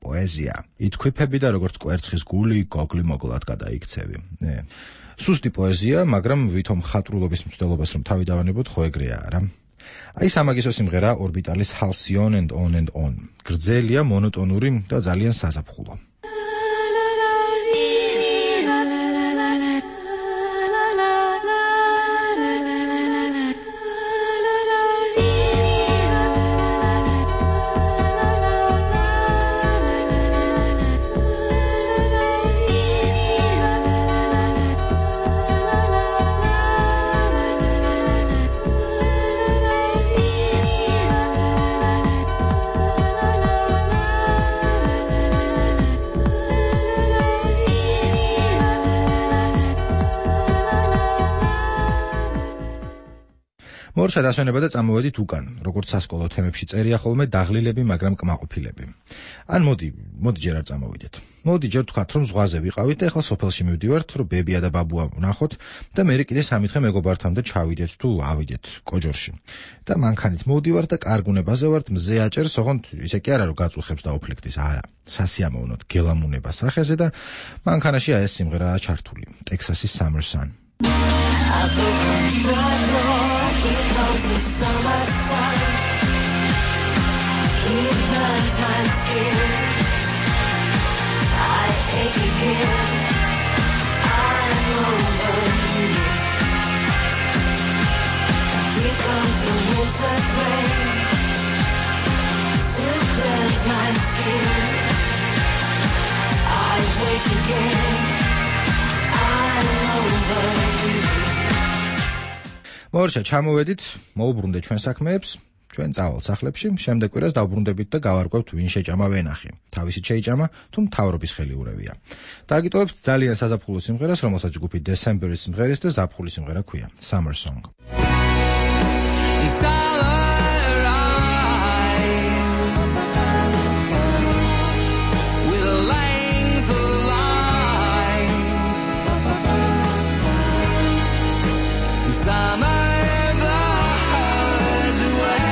პოეზია. ითქვიფები და როგორც კვერცხის გული გოგლი მოგლად გადაიქცევი. ნე. სუსტი პოეზია, მაგრამ ვითომ ხატრულობის მცდელობას რომ თავი დავანებოთ, ხო ეგრეა რა. აი სამაგისო სიმღერა ორბიტალის Halcyon and On and On. გრძელია, მონოტონური და ძალიან საზაფხულო. მორჩა დასვენება და წამოვედით უკან, როგორც სასკოლო თემებში წერია ხოლმე დაღლილები, მაგრამ კმაყოფილები. ან მოდი, მოდი ჯერ არ წამოვიდეთ. მოდი ჯერ თქვათ რომ ზღვაზე ვიყავით და ახლა სოფელში მივდივართ, რომ ბებია და ბაბუა ვნახოთ და მე კიდე სამი დღე მეგობართან და ჩავიდეთ თუ ავიდეთ კოჯორში. და მანქანით მოვდივართ და კარგუნებაზე ვართ, მზე აჭერს, ოღონდ ისე კი არა რომ გაწუხებს და ოფლექტის, არა. სასიამოვნოდ გელამუნება სახეზე და მანქანაში აი ეს სიმღერაა ჩართული. Texas' Summer Sun. Here comes the summer sun. He burns my skin. I ache again. I'm over you. Here comes the winter's rain to cleanse my skin. I wake again. I'm over you. მორჩა ჩამოვედით, მოუბრუნდეთ ჩვენ საქმეებს, ჩვენ წავალ სახლებში, შემდეგ კვირას დავბრუნდებით და გავარკვევთ ვინ შეჭამა ვენახი. თავისით შეიჭამა, თუ მთავრობის ხელი ურევია. დააგიტოვებთ ძალიან საზაფხულო სიმღერას, რომელსაც ჯგუფი December-ის სიმღერის და ზაფხულის სიმღერა ქვია, Summer Song. Summer blows away.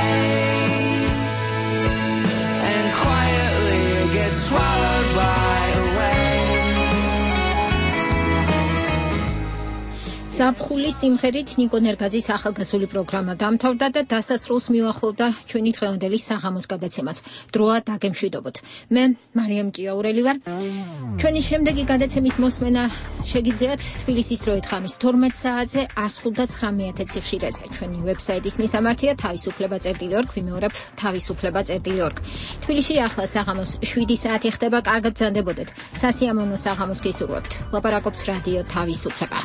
თბილისის სიმღერით ნიკო ნერგაძის ახალგაზრდული პროგრამა დამთავრდა და დასასრულს მიუახლოვდა ჩვენი დღევანდელი საღამოს გადაცემაც. დროა დაგემშვიდობოთ. მე მარიამ ჭიაურელი ვარ. ჩვენი შემდეგი გადაცემის მოსმენა შეგიძლიათ თბილისის დროით ხამის თორმეტ საათზე one ninety nine სიხშირეზე. ჩვენი ვებსაიტის მისამართია თავისუფლება წერტილი ორ, ვიმეორებ თავისუფლება წერტილი ორ. თბილისში ახლა საღამოს seven საათი ხდება, კარგად გრძანდებოდეთ. სასიამოვნო საღამოს გისურვებთ. ლაპარაკობს რადიო თავისუფლება.